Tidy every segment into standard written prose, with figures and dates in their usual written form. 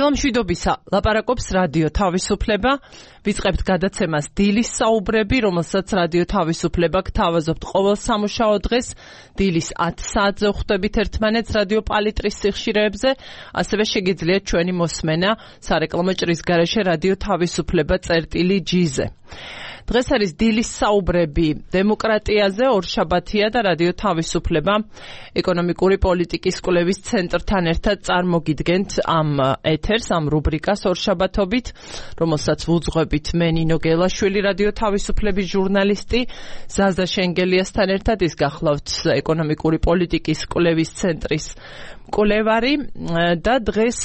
დილამშვიდობისა ლაპარაკობს რადიო თავისუფლება. ვიწყებთ გადაცემას დილის საუბრები, რომელსაც რადიო თავისუფლება გთავაზობთ ყოველ სამუშაო დღეს დილის 10 საათზე ხვდებით ერთმანეთს რადიო პალიტრის სიხშირეებზე, ასევე შეგიძლიათ ჩვენი მოსმენა სარეკლამო ჭრის გარეშე რადიო თავისუფლება წერტილი-G-ზე. დღეს არის დილის საუბრები დემოკრატიაზე, ორშაბათია და რადიო თავისუფლება ეკონომიკური პოლიტიკის კვლევის ცენტრთან ერთად წარმოგიდგენთ ამ ეთერს, ამ რუბრიკას ორშაბათობით, რომელსაც ვუძღვებით მე ნინო გელაშვილი, რადიო თავისუფლების ჟურნალისტი, ზაზა შენგელიასთან ერთად ის გახლავთ ეკონომიკური პოლიტიკის კვლევის ცენტრის კვლევარი და დღეს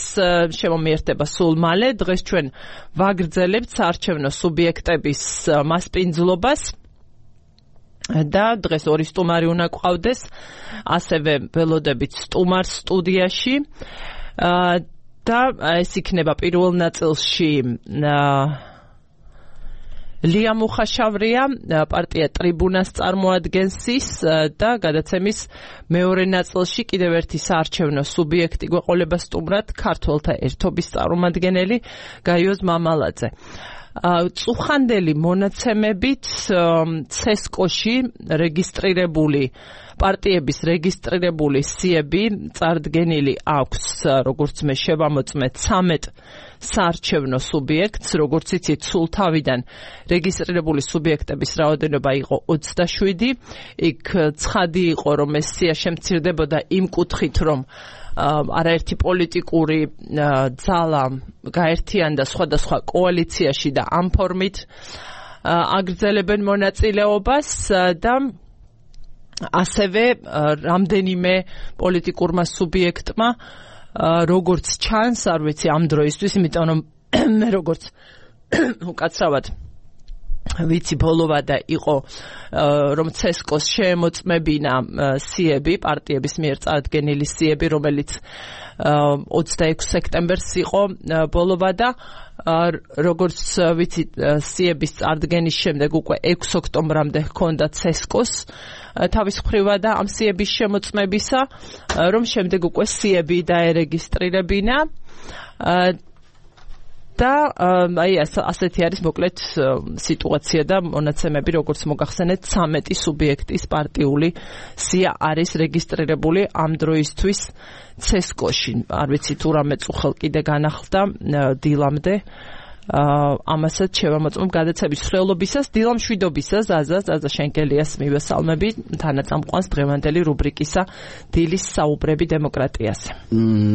შემომიერთება სულ მალე. დღეს ჩვენ ვაგრძელებთ საარჩევნო სუბიექტების მასპინძლობას და დღეს ორი სტუმარი უნდა გვყავდეს, ასევე ველოდებით სტუმარს სტუდიაში და ეს იქნება პირველ ნაწილში ლია მუხაშავრია, პარტია ტრიბუნას წარმოადგენს ის და გადაცემის მეორე ნაწილში კიდევ ერთი საარჩევნო სუბიექტი გვეყოლება სტუმრად, ქართველთა ერთობის წარმომადგენელი გაიოზ მამალაძე. წუხანდელი მონაცემებით ცესკოში რეგისტრირებული პარტიების რეგისტრირებული სიები წარდგენილი აქვს, როგორც მე შევამოწმე 13 საარჩევნო სუბიექტს, როგორც იცით, სულ თავიდან რეგისტრირებული სუბიექტების რაოდენობა იყო 27. იქ ცხადი იყო, რომ ეს სია შემცირდებოდა იმ კუთხით, რომ არაერთი პოლიტიკური ძალა გაერთიანდა სხვადასხვა კოალიციაში და ამ ფორმით აგრძელებენ მონაწილეობას და ასევე რამდენიმე პოლიტიკურმა სუბიექტმა როგორც ჩანს, არ ვიცი ამ დროისთვის, იმიტომ რომ მე როგორც უკაცრავად ვიცი ბოლოვადა იყო, რომ ცესკოს შეემოწმებინა სიები, პარტიების მიერ წარდგენილი სიები, რომელიც 26 სექტემბერს იყო ბოლოვადა. როგორც ვიცი, სიების წარდგენის შემდეგ უკვე 6 ოქტომბრამდე ჰქონდა ცესკოს თავის მხრივა და ამ სიების შემოწმებისა, რომ შემდეგ უკვე სიები დაერეგისტრირებინა და აი ასეთი არის მოკლედ სიტუაცია და მონაცემები, როგორც მოგახსენეთ, 13 სუბიექტის პარტიული სია არის რეგისტრირებული ამ დროისთვის ცესკოში. არ ვიცი თუ რამე წუხელ კიდე განახლდა დილამდე. ამასაც შევამოწმებ გადაცემის მსვლელობისას, დილამშვიდობისას, ზაზა შენკელიას მივესალმები, თანაწამყვანს დღევანდელი რუბრიკისა დილის საუბრები დემოკრატიაზე.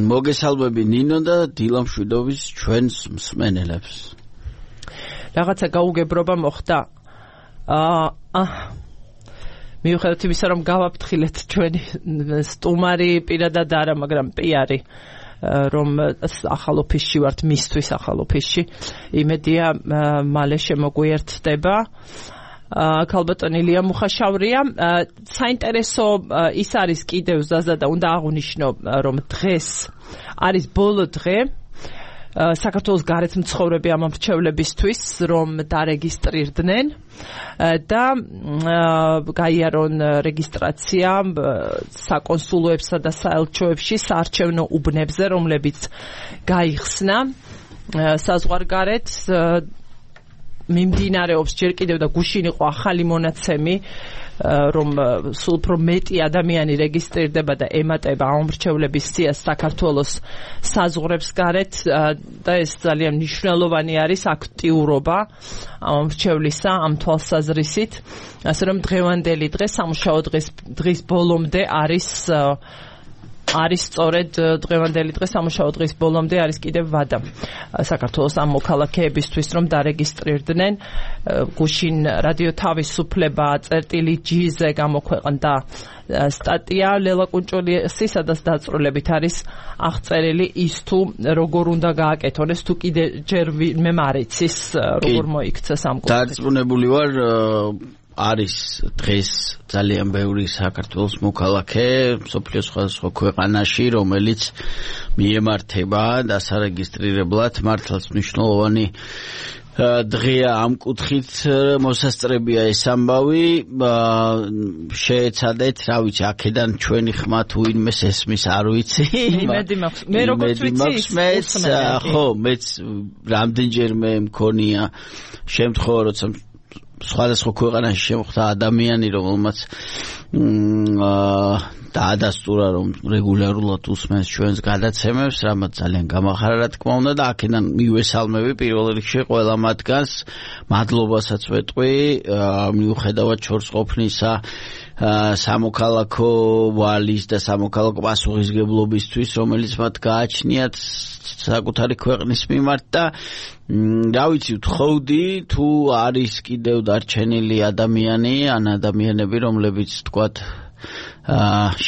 მოგესალმები ნინო და დილამშვიდობის ჩვენს მსმენელებს. რაღაცა გაუგებრობა მოხდა. მიუხედავად იმისა, რომ გავაფრთხილეთ ჩვენი სტუმარი პირადად არა, მაგრამ პიარი რომ ახალ ოფისში ვართ, მისთვის ახალ ოფისში, იმედია მალე შემოგვიერთდება. ქალბატონი ლია მუხაშავრია, საინტერესო ის არის კიდევ ზაზა და უნდა აღვნიშნო, რომ დღეს არის ბოლო დღე საქართველოს გარეთ მცხოვრები ამ მრჩევლებისთვის, რომ დარეგისტრირდნენ და გაიარონ რეგისტრაცია საკონსულოებსა და საელჩოებში საარჩევნო უბნებზე, რომლებიც გაიხსნა საზღვარგარეთ. მიმდინარეობს ჯერ კიდევ და გუშინ იყო ახალი მონაცემი, რომ სულ უფრო მეტი ადამიანი რეგისტრირდება და ემატება ამ მრჩევლების სიას საქართველოს საზღვრებს გარეთ და ეს ძალიან მნიშვნელოვანი არის აქტიურობა ამ მრჩევლისა ამ თვალსაზრისით, ასე რომ დღევანდელი დღე სამუშაო დღის ბოლომდე არის სწორედ დღევანდელი დღე სამუშაო დღის ბოლომდე არის კიდევ ვადა საქართველოს ამ მოქალაქეებისთვის, რომ დარეგისტრირდნენ. გუშინ რადიო თავისუფლება წერტილი-G-ზე გამოქვეყნდა სტატია ლელა კუნჭულიასი, სადაც დაწვრილებით არის აღწერილი ის თუ როგორ უნდა გააკეთონ ეს, თუ კიდე ჯერ მე მარიცის როგორ მოიქცეს ამ კუთხით. დარწმუნებული ვარ, არის დღეს ძალიან ბევრი საქართველოს მოქალაქე მსოფლიოს სხვადასხვა ქვეყანაში, რომელიც მიემართება დასარეგისტრირებლად. მართლაც მნიშვნელოვანი დღეა ამ კუთხით მოსასწრებია ეს ამბავი შეეცადეთ რა ვიცი აქედან ჩვენი ხმა თუ ვინმეს ესმის არ ვიცი იმედი მაქვს მე როგორც ვიცი ხო მეც რამდენჯერმე მქონია შემთხვევა როცა სხვადასხვა ქვეყანაში შემოხვდა ადამიანი რომელმაც დაადასტურა რომ რეგულარულად უსმენს ჩვენს გადაცემებს, რამაც ძალიან გამახარა რა თქმა უნდა და აქედან მივესალმები პირველ რიგში ყველა მათგანს, მადლობასაც ვეტყვი, მიუხედავად ჩორს ყოფნისა სამოქალაქო ვალის და სამოქალაქო პასუხისგებლობისთვის, რომელიც მათ გააჩნიათ საკუთარი ქვეყნის მიმართ და რა ვიცი ვთხოვდი თუ არის კიდევ დარჩენილი ადამიანი ან ადამიანები რომლებიც თქვათ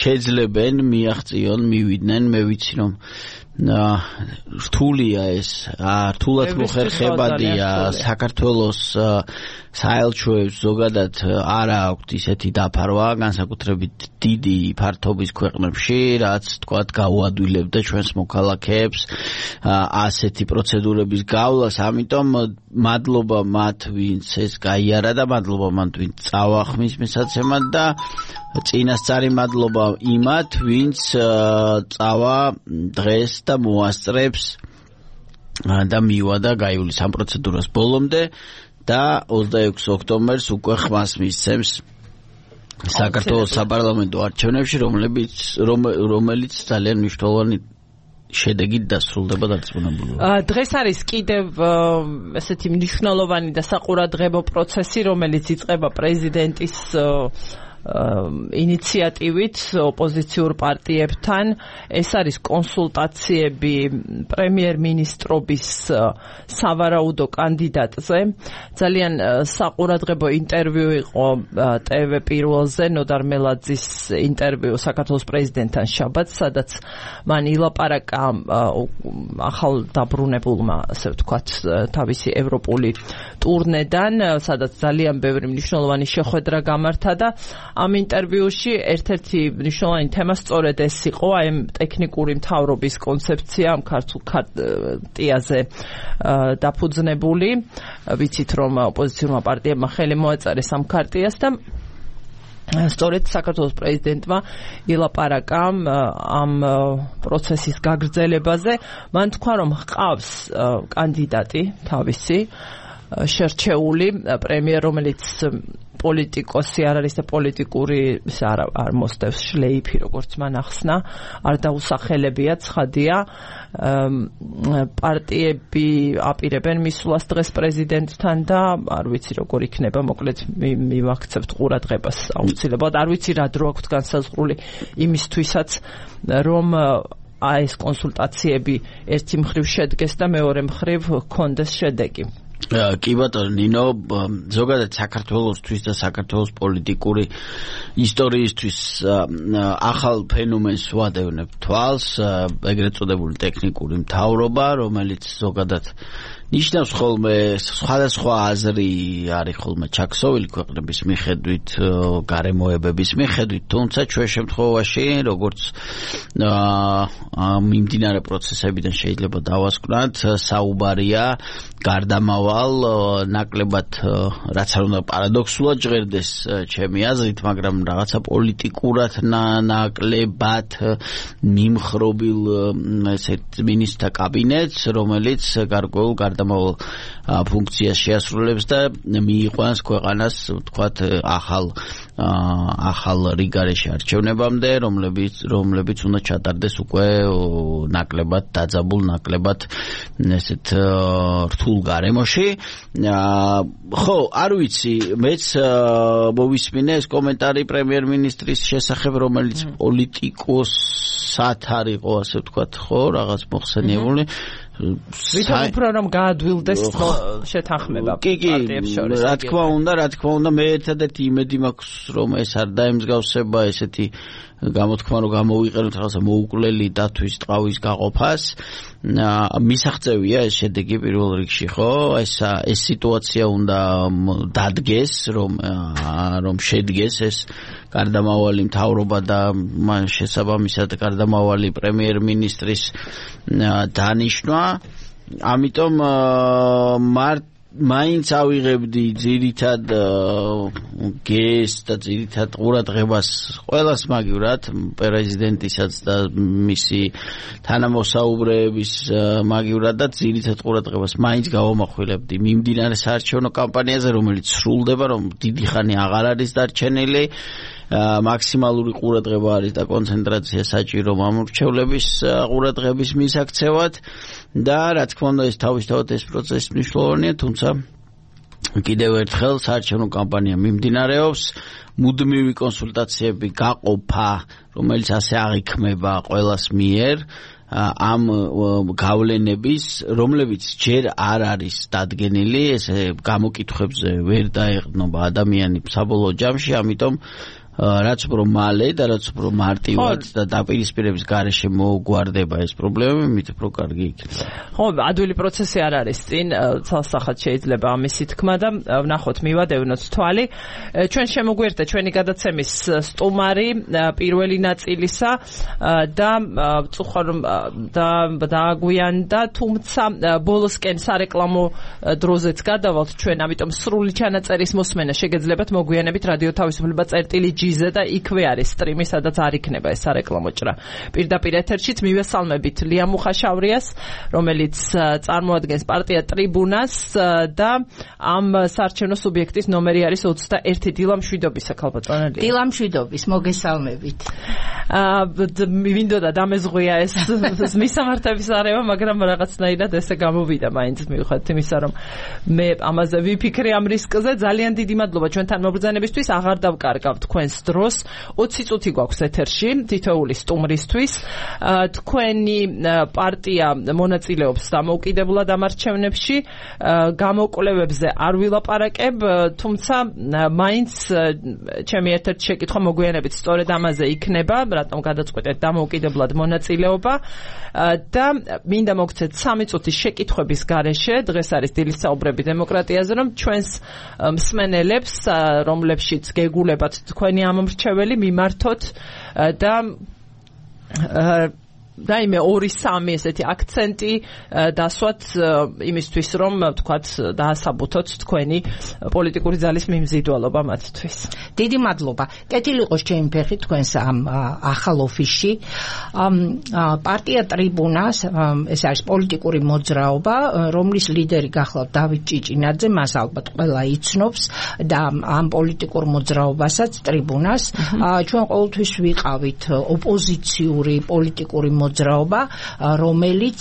შეძლებენ მიაღწიონ მივიდნენ მე ვიცი რომ რთულია ეს რთულად მოხერხებადია საქართველოს საელჩოებს ზოგადად არა აქვთ ისეთი დაფარვა განსაკუთრებით დიდი ფართობის ქვეყნებში რაც თქვათ გაუადვილებდა ჩვენს მოქალაქეებს ასეთი პროცედურების გავლას ამიტომ მადლობა მათ ვინც ეს გაიარა და მადლობა მათ ვინც წავახმის მისაცემად და წინასწარი მადლობა იმათ ვინც წავა დღეს და მოასწრებს და მივადა გაივლის ამ პროცედურას ბოლომდე და 26 ოქტომბერს უკვე ხმას მისცემს საქართველოს საპარლამენტო არჩევნებში რომელიც ძალიან მნიშვნელოვანი შედეგით დასრულდება დარწმუნებული. დღეს არის კიდევ ესეთი მნიშვნელოვანი და საყურადღებო პროცესი რომელიც იწყება პრეზიდენტის ინიციატივით ოპოზიციურ პარტიებთან ეს არის კონსულტაციები პრემიერ-მინისტრობის სავარაუდო კანდიდატზე ძალიან საყურადღებო ინტერვიუ იყო ტევ პირველზე ნოდარ მელაძის ინტერვიუ საქართველოს პრეზიდენტთან შაბათს სადაც მან ილაპარაკა ახალ დაბრუნებულმა ასე ვთქვათ თავისი ევროპული ტურნედან სადაც ძალიან ბევრი მნიშვნელოვანი შეხვედრა გამართა და ამ ინტერვიუში ერთ-ერთი მნიშვნელოვანი თემა სწორედ ეს იყო აი ტექნიკური მთავრობის კონცეფცია ამ ქართულ ხარტიაზე დაფუძნებული ვიცით რომ ოპოზიციურმა პარტიებმა ხელი მოაწერეს ამ ქარტიას და სწორედ საქართველოს პრეზიდენტმა ილაპარაკა ამ პროცესის გაგრძელებაზე მან თქვა რომ ჰყავს კანდიდატი თავისი შერჩეული პრემიერ რომელიც პოლიტიკოსი არ არის და პოლიტიკური არ მოსდევს შლეიფი როგორც მან ახსნა არ დაუსახელებია ცხადია პარტიები აპირებენ მისვლას დღეს პრეზიდენტთან და არ ვიცი როგორ იქნება მოკლედ მივაქცევთ ყურადღებას აუცილებლად არ ვიცი რა დრო აქვს განსაზღვრული იმისთვისაც რომ ეს კონსულტაციები ერთი მხრივ შედგეს და მეორე მხრივ ჰქონდეს შედეგი კი ბატონო ნინო ზოგადად საქართველოსთვის და საქართველოს პოლიტიკური ისტორიისთვის ახალ ფენომენს ვადევნებ თვალს ეგრეთ წოდებული ტექნიკური მთავრობა რომელიც ზოგადად ნიშნავს ხოლმე სხვადასხვა აზრი არის ხოლმე ჩაქსოვილი ქვეყნების მიხედვით გარემოებების მიხედვით თუმცა ჩვენ შემთხვევაში როგორც მიმდინარე პროცესებიდან შეიძლება დავასკვნათ საუბარია გარდამავალ ნაკლებად რაც არ უნდა პარადოქსულად ჟღერდეს ჩემი აზრით მაგრამ რაღაცა პოლიტიკურად ნაკლებად მიმხრობილ ესეთ მინისტრთა კაბინეტს რომელიც გარკვეულ გარდამავალ ფუნქციას შეასრულებს და მიიყვანს ქვეყანას ვთქვათ ახალ რიგარეში არჩევნებამდე რომლებიც უნდა ჩატარდეს უკვე ნაკლებად დაძაბულ ნაკლებად ესეთ რთულ გარემოში ხო არ ვიცი მეც მოვისმინე ეს კომენტარი პრემიერ-მინისტრის შესახებ რომელიც პოლიტიკოსად არ იყო ასე ვთქვათ ხო რაღაც მოხსენიებული ვითომ უფრო რომ გაადვილდეს შეთანხმება პარტიებს შორის რა თქმა უნდა მე ერთადერთი იმედი მაქვს რომ ეს არ დაემსგავსება ესეთი გამოთქმა რომ გამოვიყენოთ რაღაცა მოუკლელი დათვის ტყავის გაყოფას მისაღწევია ეს შედეგი პირველ რიგში ხო ეს სიტუაცია უნდა დადგეს რომ შედგეს ეს გარდამავალი მთავრობა და მან შესაბამისად გარდამავალი პრემიერ-მინისტრის დანიშვნა ამიტომ მაინც ავიღებდი ძირითად გეს და ძირითად ყურადღებას ყველას მაგივრად პრეზიდენტისაც და მისი თანამოსაუბრეების მაგივრად და ძირითად ყურადღებას მაინც გავამახვილებდი მიმდინარე საარჩევნო კამპანიაზე, რომელიც სრულდება, რომ დიდი ხანი აღარ არის დარჩენილი. მაქსიმალური ყურადღება არის და კონცენტრაცია საჭირო მამრჩევლების ყურადღების მისაქცევად და რა თქმა უნდა ეს თავისთავად ეს პროცესი მნიშვნელოვანია, თუმცა კიდევ ერთხელ საარჩევნო კამპანია მიმდინარეობს, მუდმივი კონსულტაციები გაყოფა, რომელიც ასე აღიქმება ყველას მიერ ამ გავლენების, რომლებიც ჯერ არ არის დადგენილი, ესე გამოკითხვებზე ვერ დაეყრდნობა ადამიანი საბოლოო ჯამში, ამიტომ რაც უფრო მალე და რაც უფრო მარტივად და დაპირისპირების გარეშე მოგვარდება ეს პრობლემები, მით უფრო კარგი იქნება. ხო, ადვილი პროცესი არ არის წინ, ცალსახად შეიძლება ამისი თქმა და ვნახოთ, მივადევნოთ თვალი. ჩვენ შემოგვიერთდა ჩვენი გადაცემის სტუმარი პირველი ნაწილისა და წუხარ დააგვიანდა, თუმცა ბოლოსკენ სარეკლამო დროზეც გადავალთ ჩვენ, ამიტომ სრული ჩანაწერის მოსმენა შეგეძლებათ მოგვიანებით რადიო თავისუფლება წერტილი G-ზე და იქვე არის სტრიმი, სადაც არ იქნება ეს სარეკლამო ჭრა. პირდაპირ ეთერშიც მივესალმებით ლია მუხაშავრიას, რომელიც წარმოადგენს პარტია ტრიბუნას და ამ საარჩევნო სუბიექტის ნომერი არის 21 დილა მშვიდობისა, ქალბატონო ლია. დილა მშვიდობის, მოგესალმებით. მინდოდა დამეზღვია ეს მისამართების არევა, მაგრამ რაღაცნაირად ესე გამოვიდა მაინც მივხვდით იმისა, რომ მე ამაზე ვიფიქრე ამ რისკზე. ძალიან დიდი მადლობა ჩვენთან მობრძანებისთვის, აღარ დავკარგავ თქვენს დროს 20 წუთი გვაქვს ეთერში თითოეული სტუმრისთვის. თქვენი პარტია მონაწილეობს დამოუკიდებლად ამ არჩევნებში, გამოკვლევებზე არ ვილაპარაკებ, თუმცა მაინც ჩემი ერთ-ერთი შეკითხვა მოგვიანებით სწორედ ამაზე იქნება, რატომ გადაწყვეტეთ დამოუკიდებლად მონაწილეობა და მინდა მოგცეთ 3 წუთის შეკითხვების გარეშე, დღეს არის დილის საუბრები დემოკრატიაზე, რომ ჩვენს მსმენელებს, რომლებშიც გეგულებათ თქვენი ამომრჩეველი მიმართოთ და იმე 2-3 ესეთი აქცენტი დასვათ იმისთვის, რომ თქვათ დაასაბუთოთ თქვენი პოლიტიკური ძალის მიმზიდველობა მათთვის. დიდი მადლობა. კეთილი იყოს ჩემი ფეხი თქვენს ამ ახალ ოფისში. პარტია ტრიბუნას, ეს არის პოლიტიკური მოძრაობა, რომლის ლიდერი გახლავთ დავით ჭიჭინაძე, მას ალბათ ყველა იცნობს და ამ პოლიტიკურ მოძრაობასაც ტრიბუნას ჩვენ ყოველთვის ვიყავით ოპოზიციური პოლიტიკური მოძრაობა, რომელიც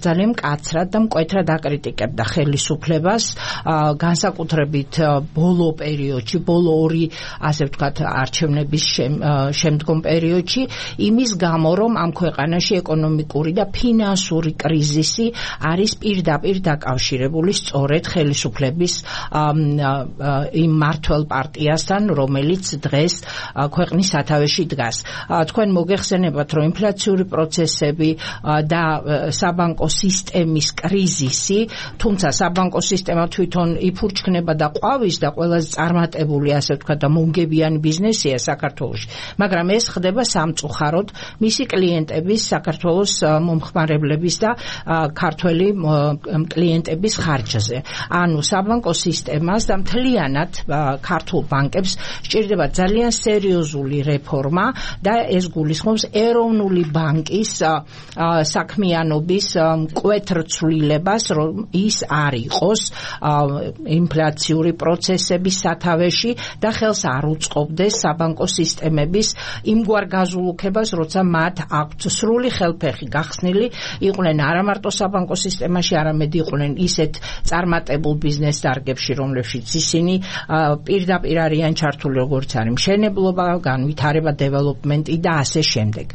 ძალიან მკაცრად და მკვეთრად აკრიტიკებდა ხელისუფლებას, განსაკუთრებით ბოლო პერიოდში, ბოლო 2 ასე ვთქვათ არჩევნების შემდგომ პერიოდში, იმის გამო, რომ ამ ქვეყანაში ეკონომიკური და ფინანსური კრიზისი არის პირდაპირ დაკავშირებული სწორედ ხელისუფლების იმ მმართველ პარტიასთან, რომელიც დღეს ქვეყნის სათავეში დგას. თქვენ მოგეხსენებათ, რომ ინფლაციური პროცესები და საბანკო სისტემის კრიზისი, თუმცა საბანკო სისტემა თვითონ იფურჩქნება და ყვავის და ყველაზე წარმატებული, ასე ვთქვათ, და მომგებიანი ბიზნესია საქართველოში, მაგრამ ეს ხდება სამწუხაროდ მისი კლიენტების, საქართველოს მომხმარებლების და ქართველი კლიენტების ხარჯზე. ანუ საბანკო სისტემას და მთლიანად ქართულ ბანკებს სჭირდება ძალიან სერიოზული რეფორმა და ეს გულისხმობს ეროვნული ბანკის საქმიანობის მკვეთრ ცვლილებას, რომ ის არ იყოს ინფლაციური პროცესების სათავეში და ხელს არ უწყობდეს საბანკო სისტემების იმგვარ გაზულუქებას, როცა მათ აქვთ სრული ხელფეხი გახსნილი იყვნენ არა მარტო საბანკო სისტემაში, არამედ იყვნენ ისეთ წარმატებულ ბიზნეს დარგებში, რომლებშიც ისინი პირდაპირ არიან ჩართული, როგორც არის მშენებლობა, განვითარება, დეველოპმენტი და ასე შემდეგ.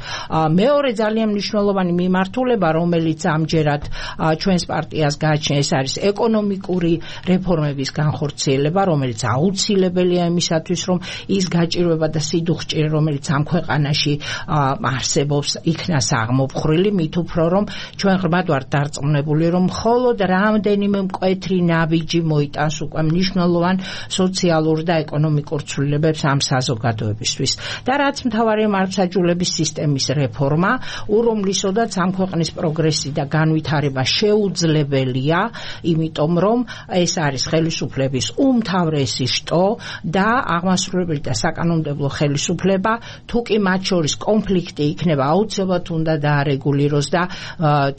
მეორე ძალიან მნიშვნელოვანი მიმართულება, რომელიც ამჯერად ჩვენს პარტიას გააჩნია, ეს არის ეკონომიკური რეფორმების განხორციელება, რომელიც აუცილებელია იმისათვის, რომ ის გაჭირვება და სიდუხჭირე, რომელიც ამ ქვეყანაში არსებობს, იქნას აღმოფხრილი, მით უფრო რომ ჩვენ ღრმად ვართ დარწმუნებული, რომ მხოლოდ რამდენიმე მკვეთრი ნაბიჯი მოიტანს უკვე მნიშვნელოვან სოციალურ და ეკონომიკურ ცვლილებებს ამ საზოგადოებისთვის. და რაც მთავარია მართლმსაჯულების სისტემის რეფორმა, რომლისოდაც ამ ქვეყნის პროგრესი და განვითარება შეუძლებელია, იმიტომ რომ ეს არის ხელისუფლების უმთავრესი შტო და აღმასრულებელი და საკანონმდებლო ხელისუფლება, თუ კი მათ შორის კონფლიქტი იქნება, აუცილებლად უნდა დაარეგულიროს და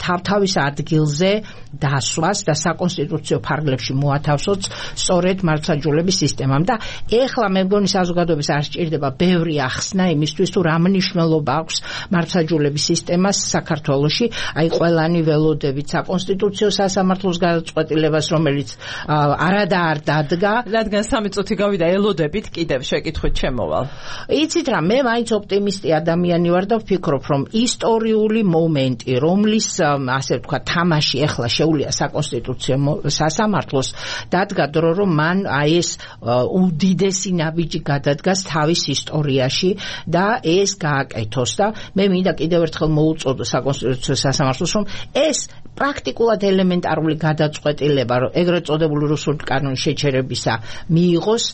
თავთავის ადგილზე დასვას და საკონსტიტუციო ფარგლებში მოათავსოს სწორედ მართლმსაჯულების სისტემამ. და ეხლა მე მგონი საზოგადოებას არ სჭირდება ბევრი ახსნა იმისთვის, თუ რა მნიშვნელობა აქვს მართლმსაჯულების სისტემას საქართველოში, აი ყველანი ველოდებით საკონსტიტუციო სასამართლოს გადაწყვეტილებას, რომელიც არადა არ დადგა. რადგან 3 წუთი გავიდა, ელოდებით კიდევ შეკითხვით შემოვალ. იცით რა, მე მაინც ოპტიმისტი ადამიანი ვარ და ვფიქრობ, რომ ისტორიული მომენტი, რომლის ასე ვთქვა, თამაში ეხლა შეუძლია საკონსტიტუციო სასამართლოს, დადგა დრო, რომ მან აი ეს უდიდესი ნაბიჯი გადადგას თავის ისტორიაში და ეს გააკეთოს და მე მინდა კიდევ ერთხელ მოუწოდო საკონსტიტუციო სასამართლოს, რომ ეს პრაქტიკულად ელემენტარული გადაწყვეტილება, ეგრეთ წოდებული რუსული კანონის შეჩერებისა მიიღოს,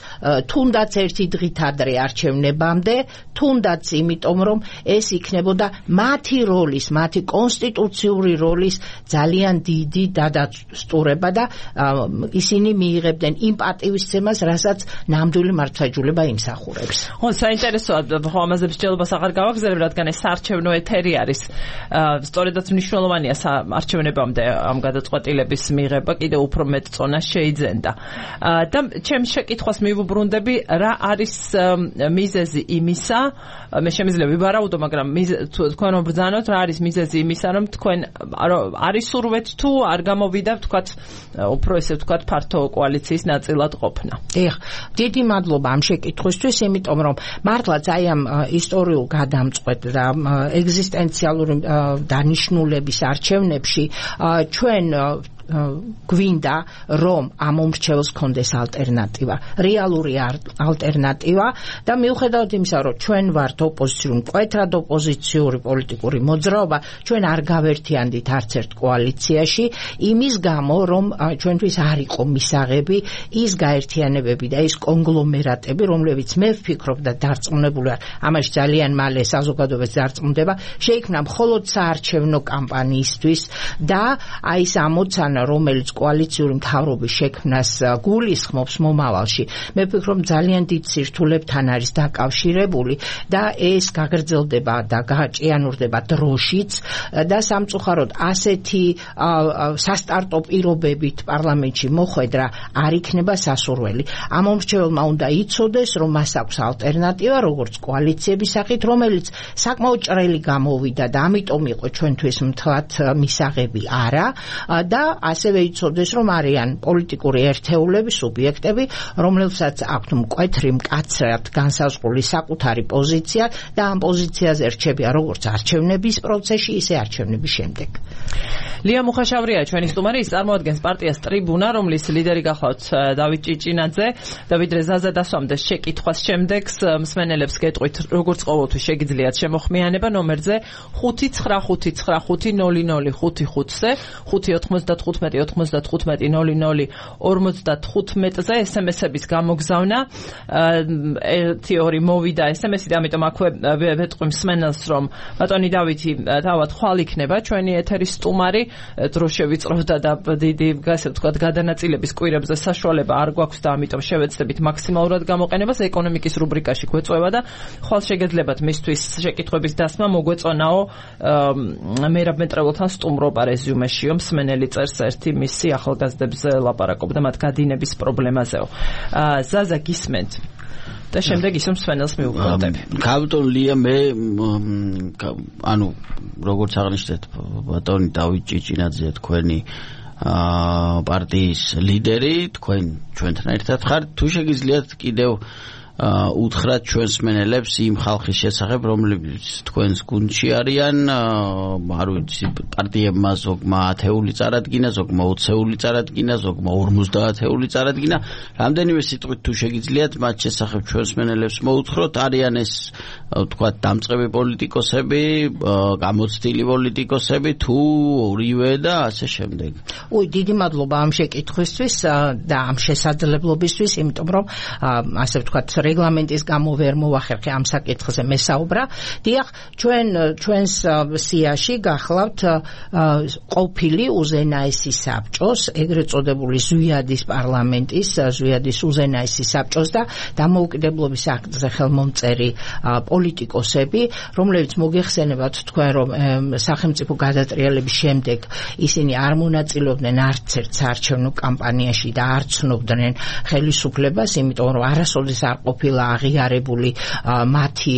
თუნდაც ერთი დღით ადრე არჩევნებამდე, თუნდაც იმიტომ, რომ ეს იქნებოდა მათი როლის, მათი კონსტიტუციური როლის ძალიან დიდი დადასტურება და ისინი მიიღებდნენ იმ პატივისცემას, რასაც ნამდვილი მართლმსაჯულება იმსახურებს. ხო, საინტერესოა, ხო, ამაზე მსჯელობას აღარ გავაგზავნებ, რადგან ეს საარჩევნო ეთერი არის. სწორედაც მნიშვნელოვანია არჩევნებამდე ამ გადაწყვეტილების მიღება, კიდევ უფრო მეტ წონას შეიძენდა. და ჩემ შეკითხვას მივუბრუნდები, რა არის მიზეზი იმისა, მე შემიძლია ვიბარაუდო, მაგრამ თქვენ ბრძანოთ, რა არის მიზეზი იმისა, რომ თქვენ არის სურვეთ თუ არ გამოვიდა, ვთქვათ, უფრო ესე ვთქვათ, ფართო კოალიციის ნაწილად ყოფნა. დიდი მადლობა ამ შეკითხვისთვის, იმიტომ რომ მართლაც აი ამ ისტორიულ გადამწყვეტ და ეგზისტენციალური დანიშნულების არჩევნებში ჩვენ გვინდა რომ ამ მომრჩეველს კონდეს ალტერნატივა, რეალური ალტერნატივა და მიუხედავად იმისა, რომ ჩვენ ვართ ოპოზიციური, მკვეთრად ოპოზიციური პოლიტიკური მოძრაობა, ჩვენ არ გავერთიანდით არც ერთ კოალიციაში, იმის გამო, რომ ჩვენთვის არ იყო მისაღები ის გაერთიანებები და ის კონგლომერატები, რომლებიც მე ვფიქრობ და დარწმუნებული ვარ, ამაში ძალიან მალე საზოგადოებას დარწმუნდება, შეიქმნა მხოლოდ საარჩევნო კამპანიისთვის და აი ეს ამოცანა, რომელიც კოალიციური მთავრობის შექმნას გულისხმობს მომავალში, მე ვფიქრობ ძალიან დიდ სირთულებთან არის დაკავშირებული და ეს გაგრძელდება და გააჭიანურდება დროშიც და სამწუხაროდ ასეთი სასტარტო პირობებით პარლამენტში მოხვედრა არ იქნება სასურველი. ამ მომრჩეველმა უნდა იცოდეს, რომ მას აქვს ალტერნატივა, როგორც კოალიციების სახით, რომელიც საკმაოდ ჭრელი გამოვიდა და ამიტომ იყო ჩვენთვის მთლად მისაღები არა და ასევე იცოდეს, რომ არიან პოლიტიკური ერთეულები, სუბიექტები, რომლებსაც აქვთ მკვეთრი, მკაცრად განსაზღვრული საკუთარი პოზიცია და ამ პოზიციაზე რჩებიან როგორც არჩევნების პროცესში, ისე არჩევნების შემდეგ. ლია მუხაშავრია ჩვენი სტუმარი, ის წარმოადგენს პარტიას ტრიბუნა, რომლის ლიდერი გახლავთ დავით ჭიჭინაძე. დავიდრე ზაზა დასვამდეს შეკითხვას შემდეგს მსმენელებს გეტყვით, როგორც ყოველთვის შეგიძლიათ შემოხმიანება ნომერზე 595500555-ზე 595-95-00-55-ზე SMS-ების გამოგზავნა. 1-2 მოვიდა SMS-ი და ამიტომ აქვე ვეტყვი მსმენელს, რომ ბატონი დავითი თავად ხვალ იქნება ჩვენი ეთერის სტუმარი, დრო შევიწროვდა და დიდი ასე ვთქვათ გადანაწილების კვირებზე საშუალება არ გვაქვს და ამიტომ შევეცდებით მაქსიმალურად გამოყენებას. ეკონომიკის რუბრიკაში გვეწევა და ხვალ შეგეძლებათ მისთვის შეკითხვების დასმა, მოგვეწონაო მერაბ მეტრეულთან სტუმრობა რეზიუმეშიო, მსმენელი წერს ერთი მისი ახალგაზრდებზე ლაპარაკობდა მათ გადინების პრობლემაზეო. ზაზა გისმენთ და შემდეგ ისო მსმენელს მიუბრუნდები. კაპიტონ ლია, მე ანუ როგორც აღნიშნეთ, ბატონი დავით ჭიჭინაძე თქვენი პარტიის ლიდერი, თქვენ ჩვენთან ერთად ხართ, თუ შეგიძლიათ კიდევ უთხრათ ჩვენს მსმენელებს იმ ხალხის შესახებ, რომლებიც თქვენს გუნდში არიან, არ ვიცი, პარტიებმა ზოგმა 10-ული წარადგინა, ზოგმა 20-ული წარადგინა, ზოგმა 50-ული წარადგინა. რამდენიმე სიტყვით თუ შეგიძლიათ მათ შესახებ ჩვენს მსმენელებს მოუთხროთ, არიან ეს თქვათ დამწყები პოლიტიკოსები, გამოცდილი პოლიტიკოსები, თუ ორივე და ასე შემდეგ. დიდი მადლობა ამ შეკითხვისთვის და ამ შესაძლებლობისთვის, იმიტომ რომ ასე ვთქვათ რეგლამენტის გამო ვერ მოვახერხე ამ საკითხზე მესაუბრა. დიახ, ჩვენს სიაში გახლავთ ყოფილი უზენაესი საბჭოს, ეგრეთ წოდებული ზვიადის პარლამენტის, ზვიადის უზენაესი საბჭოს და დამოუკიდებლობის აქტზე ხელმომწერი პოლიტიკოსები, რომლებიც მოგეხსენებათ თქვენ, რომ სახელმწიფო გადატრიალების შემდეგ ისინი არ მონაწილეობდნენ არც ერთ საარჩევნო კამპანიაში და არ ცნობდნენ ხელისუფლებას, იმიტომ რომ არასოდეს არ ყოფილა აღიარებული მათი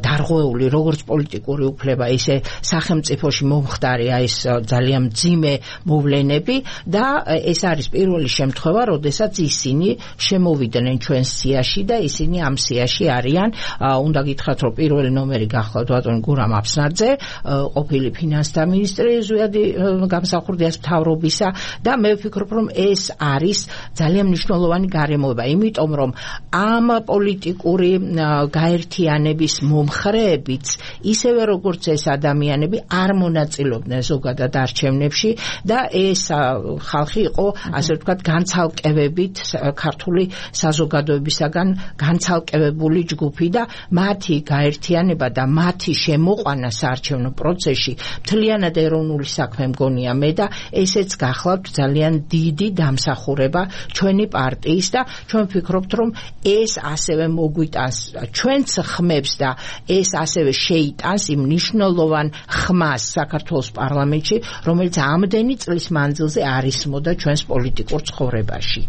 დარღვეული როგორც პოლიტიკური უფლება, ისე სახელმწიფოში მომხდარი ეს ძალიან მძიმე მოვლენები და ეს არის პირველი შემთხვევა, როდესაც ისინი შემოვიდნენ ჩვენ სიაში და ისინი ამ სიაში არიან. უნდა გითხრათ, რომ პირველი ნომერი გახლავთ ბატონი გურამ აფსნაძე, ყოფილი ფინანსთა მინისტრი ზვიადი გამსახურდიას მთავრობისა და მე ვფიქრობ, რომ ეს არის ძალიან მნიშვნელოვანი გარემოება, იმიტომ რომ ამ პოლიტიკური გაერთიანების მომხრეებიც ისევე როგორც ეს ადამიანები არ მონაწილეობდნენ ზოგადად არჩევნებში და ეს ხალხი იყო, ასე ვთქვათ, განცალკევებით ქართული საზოგადოებისაგან განცალკევებული ჯგუფი და მათი გაერთიანება და მათი შემოყვანა საარჩევნო პროცესში მთლიანად ეროვნული საქმე მგონია მე და ესეც გახლავთ ძალიან დიდი დამსახურება ჩვენი პარტიის და ჩვენ ვფიქრობთ, რომ ეს ასევე მოგვიტანს ჩვენც ხმებს და ეს ასევე შეიტანს იმ მნიშვნელოვან ხმას საქართველოს პარლამენტში, რომელიც ამდენი წლის მანძილზე არ ისმოდა ჩვენს პოლიტიკურ ცხოვრებაში.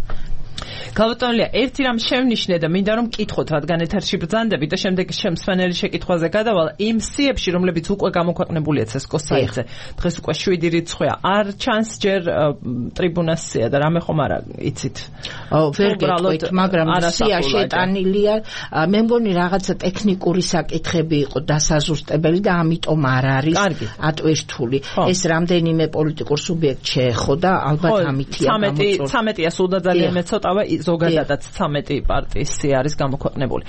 გალბატონია, ერთი რამ შევნიშნე და მინდა რომ მკითხოთ, რადგან ეთერში ბრძანდებით და შემდეგ შემსვენელი შეკითხვაზე გადავალ იმ სიებში, რომლებიც უკვე გამოქვეყნებულია CSKO-ს საიტზე. დღეს უკვე 7 რიცხვია. არ ჩანს ჯერ ტრიბუნას სია და რამე ხომ არა იცით? ვერ გეტყვით, მაგრამ სია შეტანილია. მე მგონი რაღაცა ტექნიკური საკითხები იყო დასაზუსტებელი და ამიტომ არ არის ატვირთული. ეს რამდენიმე პოლიტიკურ სუბიექტ შეეხოდა, ალბათ ამითია გამოწვეული. 13-ია სულ და ძალიან მეცოტავე ზოგადადაც 13 პარტიის სია არის გამოქვეყნებული.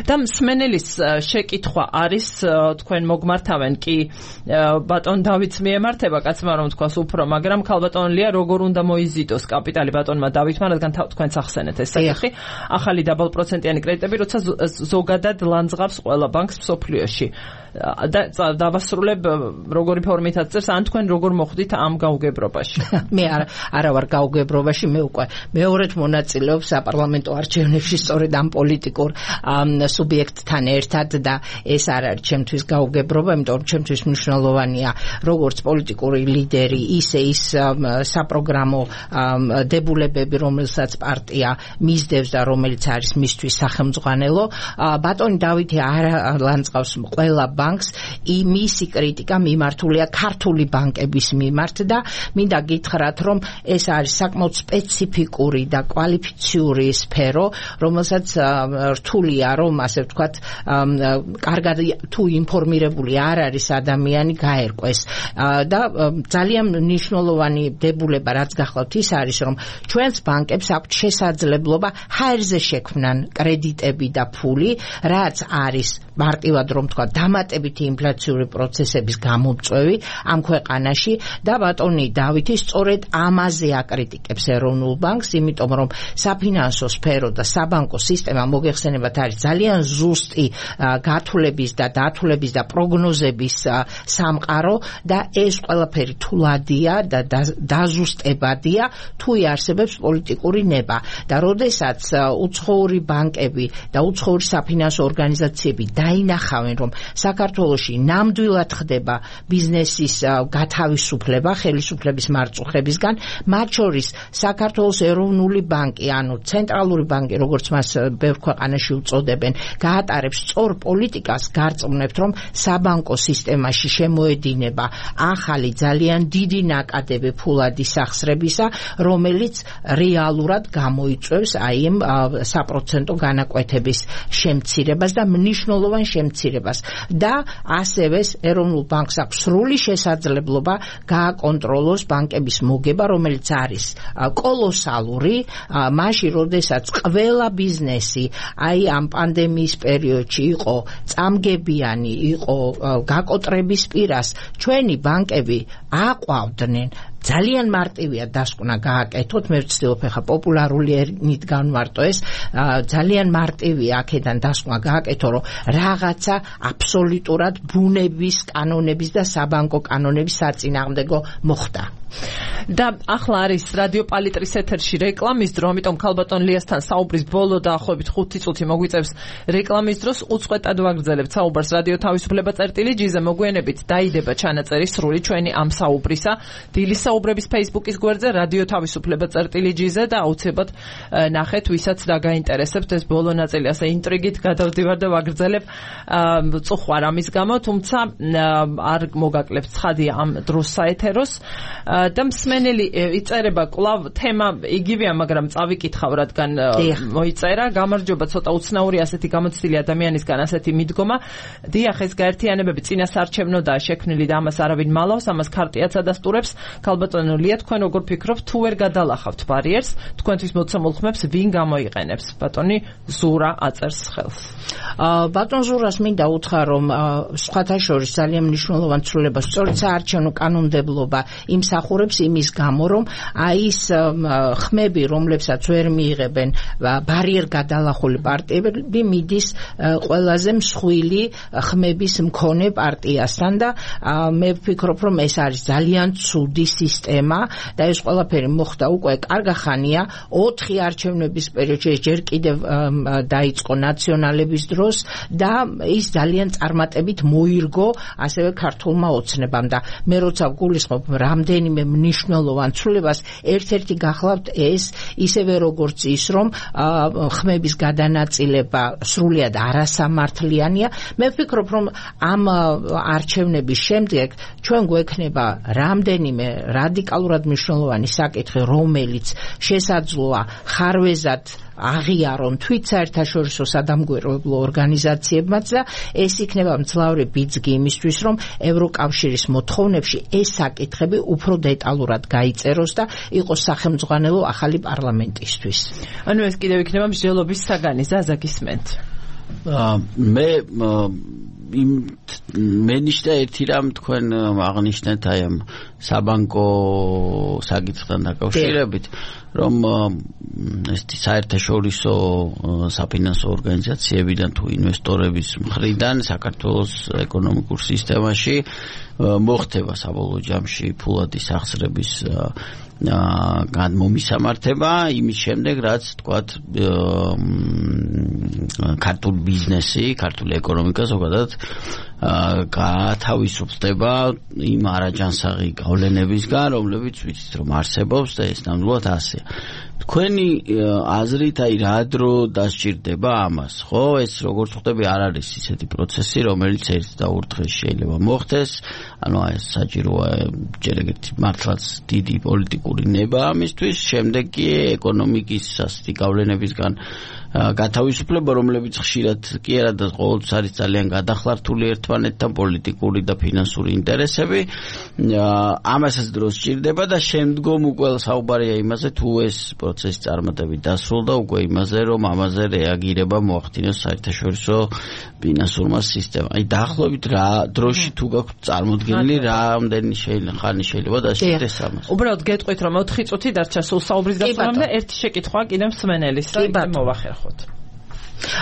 და მსმენელის შეკითხვა არის, თქვენ მოგმართავენ კი ბატონ დავითს მიემართება, კაცმა რომ თქვას უფრო, მაგრამ ქალბატონლია როგორ უნდა მოიზიდოს კაპიტალი ბატონმა დავითმა, რადგან თქვენც ახსენეთ ეს საკითხი, ახალი დაბალპროცენტიანი კრედიტები, როცა ზოგადად ლანძღავს ყველა ბანკს მსოფლიოში. და დავასრულებ როგორი ფორმითაც წერს, ან თქვენ როგორ მოხვდით ამ გაუგებრობაში? მე არა ვარ გაუგებრობაში, მე უკვე მეორედ მონაწილეობ საპარლამენტო არჩევნებში სწორედ ამ პოლიტიკურ სუბიექტთან ერთად და ეს არ არის ჩემთვის გაუგებრობა, იმიტომ რომ ჩემთვის მნიშვნელოვანია როგორც პოლიტიკური ლიდერი, ისე ის საპროგრამო დებულებები, რომელსაც პარტია მისდევს და რომელიც არის მისთვის სახელმძღვანელო. ბატონი დავითი არ ლანძღავს ყველა ბანკს, მისი კრიტიკა მიმართულია ქართული ბანკების მიმართ და მინდა გითხრათ, რომ ეს არის საკმაოდ სპეციფიკური და კვალიფიციური სფერო, რომელსაც რთულია, რომ ასე ვთქვათ, კარგად თუ ინფორმირებული არ არის ადამიანი გაერკვეს. და ძალიან მნიშვნელოვანი დებულება, რაც გახლავთ, ის არის, რომ ჩვენს ბანკებს აქვთ შესაძლებლობა ჰაერზე შექმნან კრედიტები და ფული, რაც არის მარტივად რომ თქვა დამატებითი ინფლაციური პროცესების გამომწვევი ამ ქვეყანაში და ბატონი დავითი სწორედ ამაზე აკრიტიკებს ეროვნულ ბანკს, იმიტომ რომ საფინანსო სფერო და საბანკო სისტემა მოგეხსენებათ არის ძალიან ზუსტი გათვლების და დათვლების და პროგნოზების სამყარო და ეს ყველაფერი თულადია და დაზუსტებადია თუ იარსებებს პოლიტიკური ნება და როდესაც უცხოური ბანკები და უცხოური საფინანსო ორგანიზაციები დაინახავენ, რომ საქართველოში ნამდვილად ხდება ბიზნესის გათავისუფლება ხელისუფლების მარწუხებისგან, მათ შორის საქართველოს ეროვნული ბანკი, ანუ ცენტრალური ბანკი, როგორც მას ბევრ ქვეყანაში უწოდებენ, გაატარებს სწორ პოლიტიკას, გარწმუნებთ, რომ საბანკო სისტემაში შემოედინება ახალი ძალიან დიდი ნაკადები ფულადი სახსრებისა, რომელიც რეალურად გამოიწვევს აი ამ საპროცენტო განაკვეთების შემცირებას და მნიშვნელოვან შემცირებას და ასევე ეროვნულ ბანკს აქვს სრული შესაძლებლობა გააკონტროლოს ბანკების მოგება, რომელიც არის კოლოსალური, მაშინ როდესაც ყველა ბიზნესი აი ამ პანდემიის პერიოდში იყო წამგებიანი, იყო გაკოტრების პირას, ჩვენი ბანკები აყვავდნენ ძალიან მარტივია დასკვნა გააკეთოთ, მე ვცდილობ ახლა პოპულარული ენით განვარტო ეს, ძალიან მარტივია აქედან დასკვნა გააკეთო, რომ რაღაცა აბსოლუტურად ბუნების კანონების და საბანკო კანონების საწინააღმდეგო მოხდა. და ახლა არის რადიო პალიტრის ეთერში რეკლამის დრო, ამიტომ ქალბატონ ლიასთან საუბრის ბოლო დაახლოებით 5 წუთი მოგვიწევს რეკლამის დროს. უწყვეტად ვაგრძელებთ საუბარს რადიო თავისუფლება წერტილი-ჯი-ზე. მოგვიანებით დაიდება ჩანაწერი სრული ჩვენი ამ საუბრისა დილის საუბრების Facebook-ის გვერდზე რადიო თავისუფლება წერტილი-ჯი-ზე და აუცილებლად ნახეთ, ვისაც დაგაინტერესებთ ეს ბოლო ნაწილი. ასე ინტრიგით გადავდივარ და ვაგრძელებ. წუხვარ ამის გამო, თუმცა არ მოგაკლებთ ცხადია ამ დროს საეთეროს. და მსმენელი იწერება კვლავ თემა იგივეა, მაგრამ წავიკითხავ, რადგან მოიწერა. გამარჯობა, ცოტა უცნაური ასეთი გამოცდილი ადამიანისგან ასეთი მიდგომა. დიახ, ეს გაერთიანებები წინასარჩევნოდაა შექმნილი და ამას არავინ მალავს, ამას ქარტიაც ადასტურებს. ქალბატონო ლია, თქვენ როგორ ფიქრობთ, თუ ვერ გადალახავთ ბარიერს, თქვენთვის მოცემულ ხმებს ვინ გამოიყენებს? ბატონი ზურა აწერს ხელს. ბატონ ზურას მინდა უთხრა, რომ სხვათა შორის ძალიან მნიშვნელოვან ცვლილებას სწორედ საარჩევნო კანონმდებლობა იმსახურებს იმის გამო, რომ აი ის ხმები, რომლებსაც ვერ მიიღებენ ბარიერ გადალახული პარტიები, მიდის ყველაზე მსხვილი ხმების მქონე პარტიასთან და მე ვფიქრობ, რომ ეს არის ძალიან ცუდი სისტემა და ეს ყველაფერი მოხდა უკვე კარგახანია 4 არჩევნების პერიოდში, ჯერ კიდევ დაიწყო ნაციონალების დროს და ის ძალიან წარმატებით მოირგო ასევე ქართულმა ოცნებამ და მე როცა გულისხმობ რამდენიმე მნიშვნელოვან ცვლილებას, ერთ-ერთი გახლავთ ეს, ისევე როგორც ის, რომ ხმების გადანაწილება სრულიად არასამართლიანია. მე ვფიქრობ, რომ ამ არჩევნების შემდეგ ჩვენ გვექნება რამდენიმე რადიკალურად მნიშვნელოვანი საკითხი, რომელიც შესაძლოა ხარვეზად აღიარონ თვით საერთაშორისო სადამკვირვებლო ორგანიზაციებმაც და ეს იქნება მძლავრი ბიძგი იმისთვის, რომ ევროკავშირის მოთხოვნებში ეს საკითხები უფრო დეტალურად გაიწეროს და იყოს სახელმძღვანელო ახალი პარლამენტისთვის. ანუ ეს კიდევ იქნება მსჯელობის საგანი. ზაზა გისმენთ. მე ნიშნა ერთი რამ თქვენ აღნიშნეთ აი ამ საბანკო საკითხთან დაკავშირებით, რომ ეს საერთაშორისო საფინანსო ორგანიზაციებიდან თუ ინვესტორების მხრიდან საქართველოს ეკონომიკურ სისტემაში მოხდება საბოლოო ჯამში ფულადის აღსრების გადმომისამართება იმის შემდეგ, რაც თქვათ ქართული ბიზნესი, ქართული ეკონომიკა ზოგადად გათავისუფლდება იმ არაჯანსაღი გავლენებისგან, რომლებიც ვიცით რომ არსებობს და ეს ნამდვილად ასეა. თქვენი აზრით აი რა დრო დასჭირდება ამას, ხო? ეს როგორც ხვდები არ არის ისეთი პროცესი, რომელიც ერთ და ორ დღეს შეიძლება მოხდეს. ანუ აი საჭიროა ჯერ ეგეთი მართლაც დიდი პოლიტიკური ნება ამისთვის, შემდეგ კი ეკონომიკის ასეთი გავლენებისგან გათავისუფლება, რომლებიც ხშირად კი არა და ყოველთვის არის ძალიან გადახლართული ერთმანეთთან პოლიტიკური და ფინანსური ინტერესები. ამასაც დრო სჭირდება და შემდგომ უკვე საუბარია იმაზე, თუ ეს პროცესი წარმატებით დასრულდა, უკვე იმაზე, რომ ამაზე რეაგირება მოახდინოს საერთაშორისო ფინანსურმა სისტემამ. აი დაახლოებით რა დროში თუ გაქვთ წარმოდგენილი, რამდენი ხანი შეიძლება დასჭირდეს ამას. უბრალოდ გეტყვით, რომ 4 წუთი დარჩა სულ საუბრის დასრულებამდე, ერთი შეკითხვა კიდევ მსმენელის და მოვახერხოთ.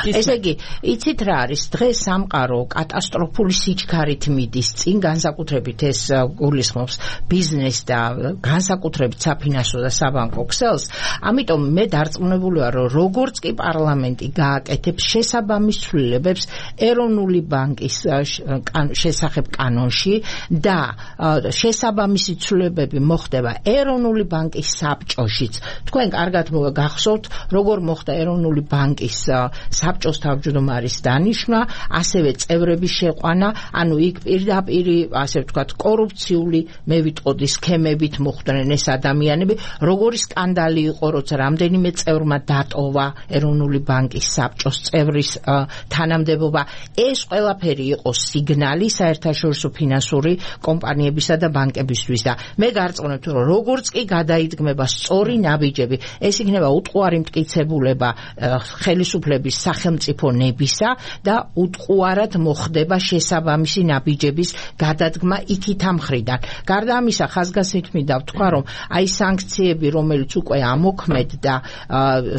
ესე იგი, იცით რა არის, დღეს სამყარო კატასტროფული სიჩქარით მიდის წინ, განსაკუთრებით ეს გულისხმობს ბიზნეს და განსაკუთრებით საფინანსო და საბანკო ქსელს. ამიტომ მე დარწმუნებული ვარ, რომ როგორც კი პარლამენტი გააკეთებს შესაბამის ცვლილებებს ეროვნული ბანკის შესახებ კანონში და შესაბამისი ცვლილებები მოხდება ეროვნული ბანკის საბჭოშიც. თქვენ კარგად გახსოვთ, როგორ მოხდა ეროვნული ბანკის საბჭოს თავმჯდომარის დანიშვნა, ასევე წევრების შეყვანა, ანუ იქ პირდაპირ, ასე ვთქვათ, კორუფციული, მე ვიტყოდი, სქემებით მოხვდნენ ეს ადამიანები, როგორი სკანდალი იყო, როცა რამდენიმე წევრმა დატოვა ეროვნული ბანკის საბჭოს წევრის თანამდებობა. ეს ყველაფერი იყო სიგნალი საერთაშორისო ფინანსური კომპანიებისა და ბანკებისთვის და მე გარწმუნებთ, რომ როგორც კი გადაიდგმება სწორი ნაბიჯები, ეს იქნება უტყუარი მტკიცებულება ხელისუფლების არსებობის სახელმწიფო ნებისა და უტყუარად მოხდება შესაბამისი ნაბიჯების გადადგმა იქით ამ მხრიდან. გარდა ამისა, ხაზგასმით მინდა ვთქვა, რომ აი სანქციები, რომელიც უკვე ამოქმედ და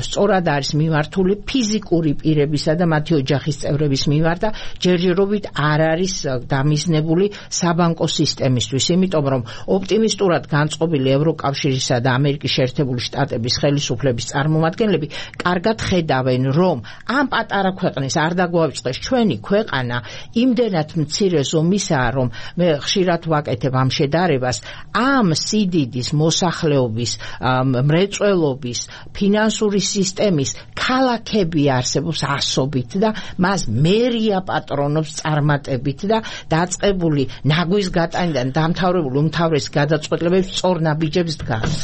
სწორად არის მიმართული ფიზიკური პირებისა და მათი ოჯახის წევრების მიმართ და ჯერჯერობით არ არის დამიზნებული საბანკო სისტემისთვის, იმიტომ რომ ოპტიმისტურად განწყობილი ევროკავშირისა და ამერიკის შეერთებული შტატების ხელისუფლების წარმომადგენლები კარგად ხედავენ, რომ ამ პატარა ქვეყნის არ დაგვაიწყდეს ჩვენი ქვეყანა იმდენად მცირე ზომისაა, რომ მე ხშირად ვაკეთებ ამ შედარებას, ამ სიდიდის მოსახლეობის მრეწველობის ფინანსური სისტემის ქალაქები არსებობს ასობით და მას მერია პატრონობს წარმატებით და დაწყებული ნაგვის გატანიდან დამთავრებული უმთავრესი გადაწყვეტილებები სწორ ნაბიჯებს დგას.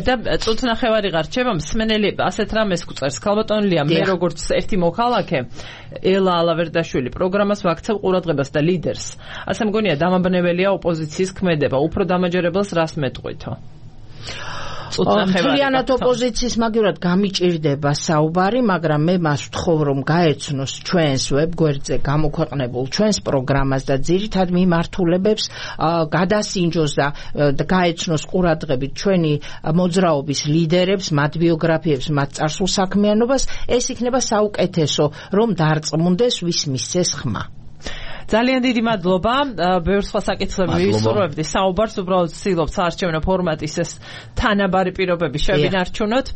და წუთნახევარი გარჩება მსმენელი ასეთ რამეს გვწერს ქალბატონია მე როგორც ერთი მოქალაქე ელა ალავერდაშვილი პროგრამას ვაქცევ ყურადღებას და ლიდერს. ასე მგონია დამაბნეველია ოპოზიციის ქმედება. უფრო დამაჯერებელს რას მეტყვითო? მთლიანად ოპოზიციის მაგივრად გამიჭირდება საუბარი, მაგრამ მე მას ვთხოვ, რომ გაეცნოს ჩვენს ვებგვერდზე გამოქვეყნებულ ჩვენს პროგრამას და ძირითად მიმართულებებს გადასინჯოს და გაეცნოს ყურადღებით ჩვენი მოძრაობის ლიდერებს, მათ ბიოგრაფიებს, მათ წარსულ საქმიანობას. ეს იქნება საუკეთესო, რომ დარწმუნდეს ვის მისცეს ხმა. ძალიან დიდი მადლობა. ბევრ სხვა საკითხებზე ვისურვებდი საუბარს, უბრალოდ ვცდილობ საარჩევნო ფორმატის ეს თანაბარი პირობები შევინარჩუნოთ.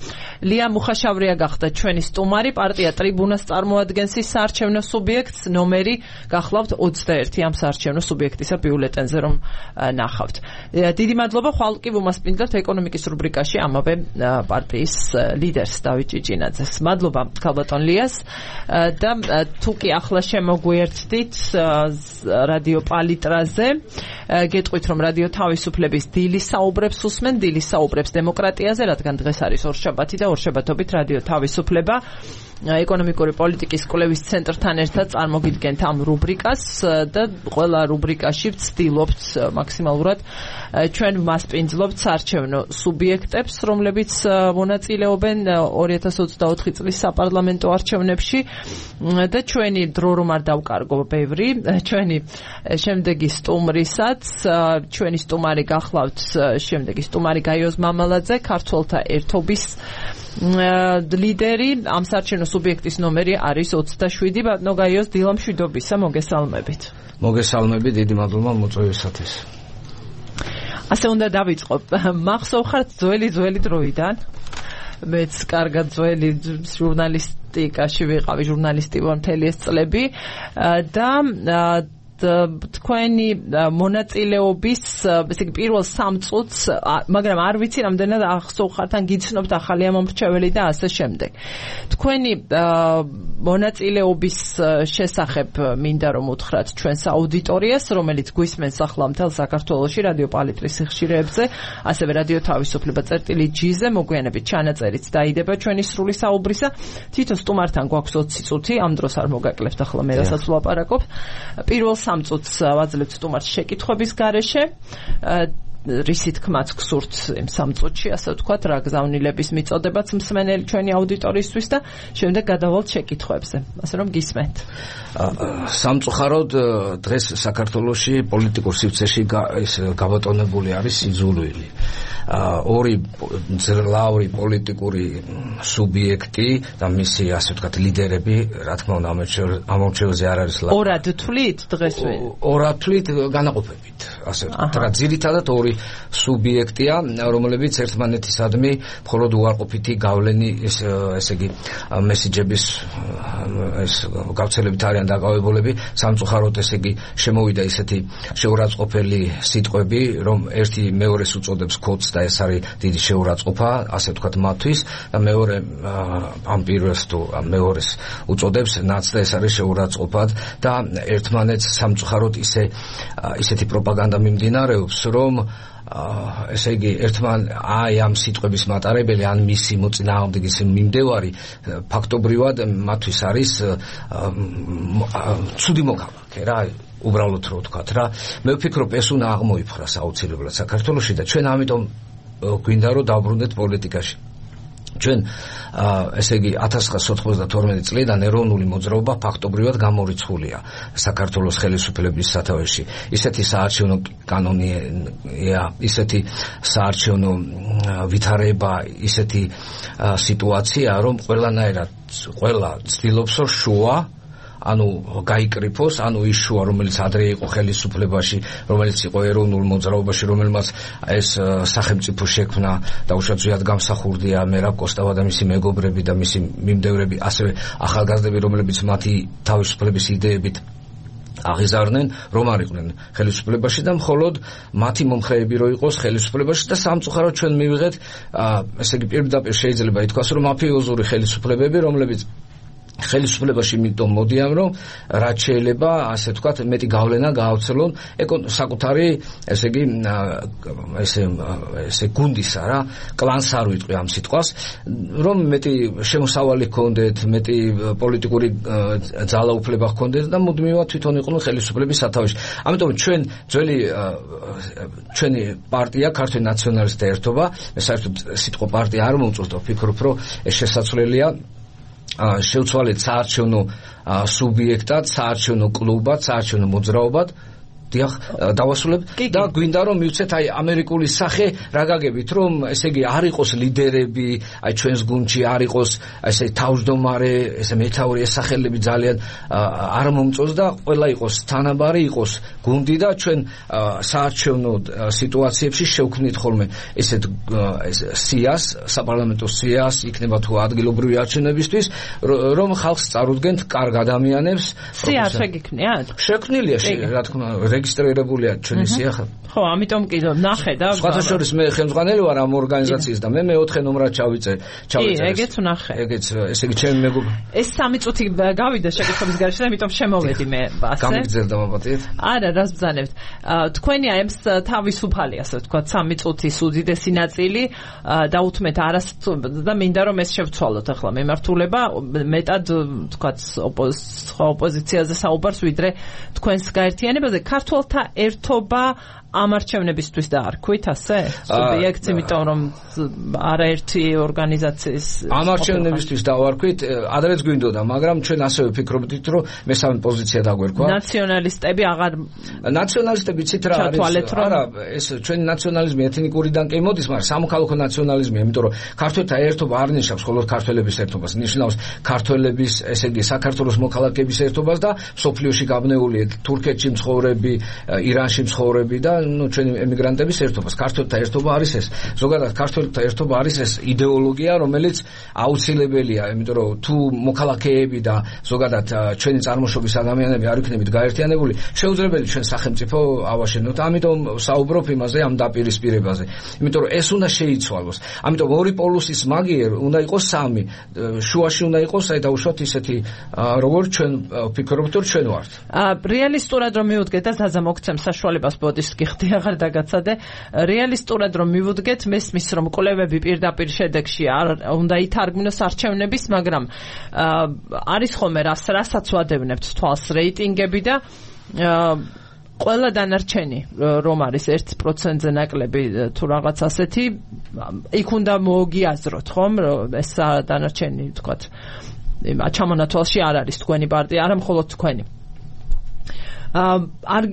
ლია მუხაშავრია გახდა ჩვენი სტუმარი, პარტია ტრიბუნას წარმოადგენს ის საარჩევნო სუბიექტს, ნომერი გახლავთ 21 ამ საარჩევნო სუბიექტისა ბიულეტენზე რომ ნახავთ. დიდი მადლობა, ხვალ კი ვუმასპინძლებთ ეკონომიკის რუბრიკაში ამავე პარტიის ლიდერს დავით ჭიჭინაძეს. მადლობა ქალბატონ ליას და თუ კი ახლა შემოგვიერთდით რადიო პალიტრაზე. გეტყვით, რომ რადიო თავისუფლების დილის საუბრებს უსმენ, დილის საუბრებს დემოკრატიაზე, რადგან დღეს არის ორშაბათი და ორშაბათობით რადიო თავისუფლება ეკონომიკური პოლიტიკის კვლევის ცენტრთან ერთად წარმოგიდგენთ ამ რუბრიკას და ყველა რუბრიკაში ვცდილობთ მაქსიმალურად ჩვენ მასპინძლობთ საარჩევნო სუბიექტებს, რომლებიც მონაწილეობენ 2024 წლის საპარლამენტო არჩევნებში და ჩვენი დრო რომ არ დავკარგო ბევრი, ჩვენი შემდეგი სტუმრისაც, ჩვენი სტუმარი გახლავთ შემდეგი სტუმარი გაიოზ მამალაძე, ქართველთა ერთობის ლიდერი, ამ საარჩევნო სუბიექტის ნომერი არის 27. ბატონო გაიოზ, დილა მშვიდობისა, მოგესალმებით. მოგესალმებით, დიდი მადლობა მოწვევისათვის. ასე უნდა დავიწყო. მახსოვხართ ძველი დროიდან. მეც კარგად ძველი ჟურნალისტიკაში ვიყავი, ჟურნალისტი ვარ მთელი ეს წლები და თქვენი მონაწილეობის ესე იგი პირველ 3 წუთს, მაგრამ არ ვიცი რამდენად ახსოვხართ ან გიცნობთ ახალი ამომრჩეველი და ასე შემდეგ. თქვენი მონაწილეობის შესახებ მინდა რომ უთხრათ ჩვენს აუდიტორიას, რომელიც გვისმენს ახლა მთელ საქართველოში რადიო პალიტრის სიხშირეებზე, ასევე რადიო თავისუფლება წერტილი-G-ზე მოგვიანებით ჩანაწერიც დაიდება ჩვენი სრული საუბრისა. თვითონ სტუმართან გვაქვს 20 წუთი, ამ დროს არ მოგაკლებთ ახლა მე რასაც ვლაპარაკობ. პირველ 3 წუთს ვაძლევთ სტუმარს შეკითხვების გარეშე. რისი თქმაც გსურთ იმ 3 წუთში, ასე ვთქვათ, რა გზავნილების მიწოდებაც მსმენელი ჩვენი აუდიტორიისთვის და შემდეგ გადავალთ შეკითხვებზე. ასე რომ გისმენთ. სამწუხაროდ დღეს საქართველოში პოლიტიკურ სივრცეში გაბატონებული არის სიძულვილი. ორი ძლავრი პოლიტიკური სუბიექტი და მისი ასე ვთქვათ ლიდერები, რა თქმა უნდა, ამორჩეულზე არ არის ლაპარაკი. ორად თვლით დღეს? ორად თვლით განაყოფებით, ასე ვთქვათ. რა ძირითადად ორი სუბიექტია, რომლებიც ერთმანეთისადმი მხოლოდ უარყოფითი გავლენი ესე იგი მესიჯების ეს გავრცელებით არიან დაკავებულები. სამწუხაროდ ესე იგი შემოვიდა ისეთი შეურაცხყოფელი სიტყვები, რომ ერთი მეორეს უწოდებს ქოდს და ეს არის დიდი შეურაცხყოფა, ასე ვთქვათ მათთვის და მეორე ამ პირველს თუ მეორეს უწოდებს ნაც და ეს არის შეურაცხყოფად და ერთმანეთს სამწუხაროდ ისეთი პროპაგანდა მიმდინარეობს, რომ ესე იგი აი ამ სიტყვების მატარებელი ან მისი მოწინააღმდეგის მიმდევარი ფაქტობრივად მათთვის არის ცუდი მოქალაქე რა, უბრალოდ რო ვთქვათ რა. მე ვფიქრობ ეს უნდა აღმოიფხვრას აუცილებლად საქართველოში და ჩვენ ამიტომ გვინდა რომ დავბრუნდეთ პოლიტიკაში. ჩვენ ესე იგი 1992 წლიდან ეროვნული მოძრაობა ფაქტობრივად გამორიცხულია საქართველოს ხელისუფლების სათავეში. ისეთი საარჩევნო კანონია, ისეთი საარჩევნო ვითარება, ისეთი სიტუაცია, რომ ყველანაირად ყველა ცდილობს რომ შუა ანუ გაიკრიფოს, ანუ ის შუა, რომელიც ადრე იყო ხელისუფლებაში, რომელიც იყო ეროვნულ მოძრაობაში, რომელმაც ეს სახელმწიფო შექმნა და უშუალოდ გამსახურდია მერაბ კოსტავა და მისი მეგობრები და მისი მიმდევრები, ასევე ახალგაზრდები, რომლებიც მათი თავისუფლების იდეებით აღიზარდნენ, რომ არ იყვნენ ხელისუფლებაში და მხოლოდ მათი მომხრეები რო იყოს ხელისუფლებაში და სამწუხაროდ ჩვენ მივიღეთ, ესე იგი პირდაპირ შეიძლება ითქვას, რომ მაფიოზური ხელისუფლებები, რომლებიც ხელისუფლებაში მიტომ მოდიან, რომ რაც შეიძლება, ასე ვთქვათ, მეტი გავლენა გაავრცელონ საკუთარი, ესე იგი, ესე გუნდისა რა, კლანს არ ვიტყვი ამ სიტყვას, რომ მეტი შემოსავალი ჰქონდეთ, მეტი პოლიტიკური ძალაუფლება ჰქონდეთ და მუდმივად თვითონ იყვნენ ხელისუფლების სათავეში. ამიტომ ჩვენი პარტია, ქართული ნაციონალისტთა ერთობა, საერთოდ სიტყვა პარტია არ მომწონს და ვფიქრობ, რომ ეს შესაძლებელია შევცვალეთ საარჩევნო სუბიექტად, საარჩევნო კლუბად, საარჩევნო მოძრაობად დავასრულებ და გვინდა რომ მივცეთ აი ამერიკული სახე რა გაგებით რომ ესე იგი არ იყოს ლიდერები აი ჩვენს გუნდში არ იყოს ესე თავმჯდომარე ესე მეთაური ეს სახელები ძალიან არ მომწონს და ყველა იყოს თანაბარი იყოს გუნდი და ჩვენ საარჩევნო სიტუაციებში შევქმნით ხოლმე ესეთ სიას საპარლამენტო სიას იქნება თუ ადგილობრივი არჩევნებისთვის რომ ხალხს წარუდგენთ კარგ ადამიანებს სია შეგიქნიათ შექმნილია რა თქმა უნდა რეგისტრირებულია ჩვენი სიახა. ხო, ამიტომ კი ნახე და სხვათა შორის მე ხელმძღვანელი ვარ ამ ორგანიზაციის და მე მეოთხე ნომრად ჩავიწერ. ეგეც ვნახე. ეგეც ესე იგი ჩემი მეგობარი. ეს 3 წუთი გავიდა შეკითხების გარშე და ამიტომ შემოვედი მე ასე. გამიგზელდა მაპატიეთ? არა, რას ბრძანებთ. თქვენი აემს თავისუფალი ასე ვთქვათ 3 წუთის უდიდესი ნაწილი დაუთმეთ არას და მინდა რომ ეს შევცვალოთ ახლა მემართულება მეტად ვთქვათ ოპოზიციაზე საუბარს ვიდრე თქვენს გაერთიანებაზე ქართველთა ერთობა ამ არჩევნებისთვის დაარქვით ასე? სუბიექტს, იმიტომ რომ არაერთი ორგანიზაციის ამ არჩევნებისთვის დავარქვით, ადრეც გვინდოდა, მაგრამ ჩვენ ასევე ვფიქრობდით, რომ მესამე პოზიცია დაგვერქვა. ნაციონალისტები აღარ ნაციონალისტები ცით რა არის? არა, ეს ჩვენი ნაციონალიზმი ეთნიკურიდან კი მოდის, მაგრამ სამოქალაქო ნაციონალიზმია, იმიტომ რომ ქართველთა ერთობა არ ნიშნავს მხოლოდ ქართველების ერთობას, ნიშნავს ქართველების, ესე იგი, საქართველოს მოქალაქეების ერთობას და სოფლიოში გაბნეული თურქეთში მცხოვრები, ირანში მცხოვრები და ჩვენი ემიგრანტების ერთობას. ქართველთა ერთობა არის ეს. ზოგადად ქართველთა ერთობა არის ეს იდეოლოგია, რომელიც აუცილებელია, იმიტომ რომ თუ მოქალაქეები და ზოგადად ჩვენი წარმოშობის ადამიანები არ იქნებით გაერთიანებული, შეუძლებელი ჩვენ სახელმწიფო ავაშენოთ. ამიტომ საუბრობ იმაზე ამ დაპირისპირებაზე. იმიტომ რომ ეს უნდა შეიცვალოს. ამიტომ ორი პოლუსის მაგიერ უნდა იყოს 3. შუაში უნდა იყოს აი დაუშვათ ისეთი როგორც ჩვენ ვფიქრობთ რომ ჩვენ ვართ. რეალისტურად რომ მივუდგეთ და ზაზა მოგცემ საშუალებას ბოდის გიხდი აღარ დაგაცადე რეალისტურად რომ მივუდგეთ მესმის რომ კვლევები პირდაპირ შედეგში არ უნდა ითარგმნოს არჩევნების მაგრამ არის ხოლმე რასაც ვადევნებთ თვალს რეიტინგები და ყველა დანარჩენი რომ არის 1%-ზე ნაკლები თუ რაღაც ასეთი იქ უნდა მოგიაზროთ ხომ ეს დანარჩენი ვთქვათ ჩამონათვალში არ არის თქვენი პარტია არა მხოლოდ თქვენი არ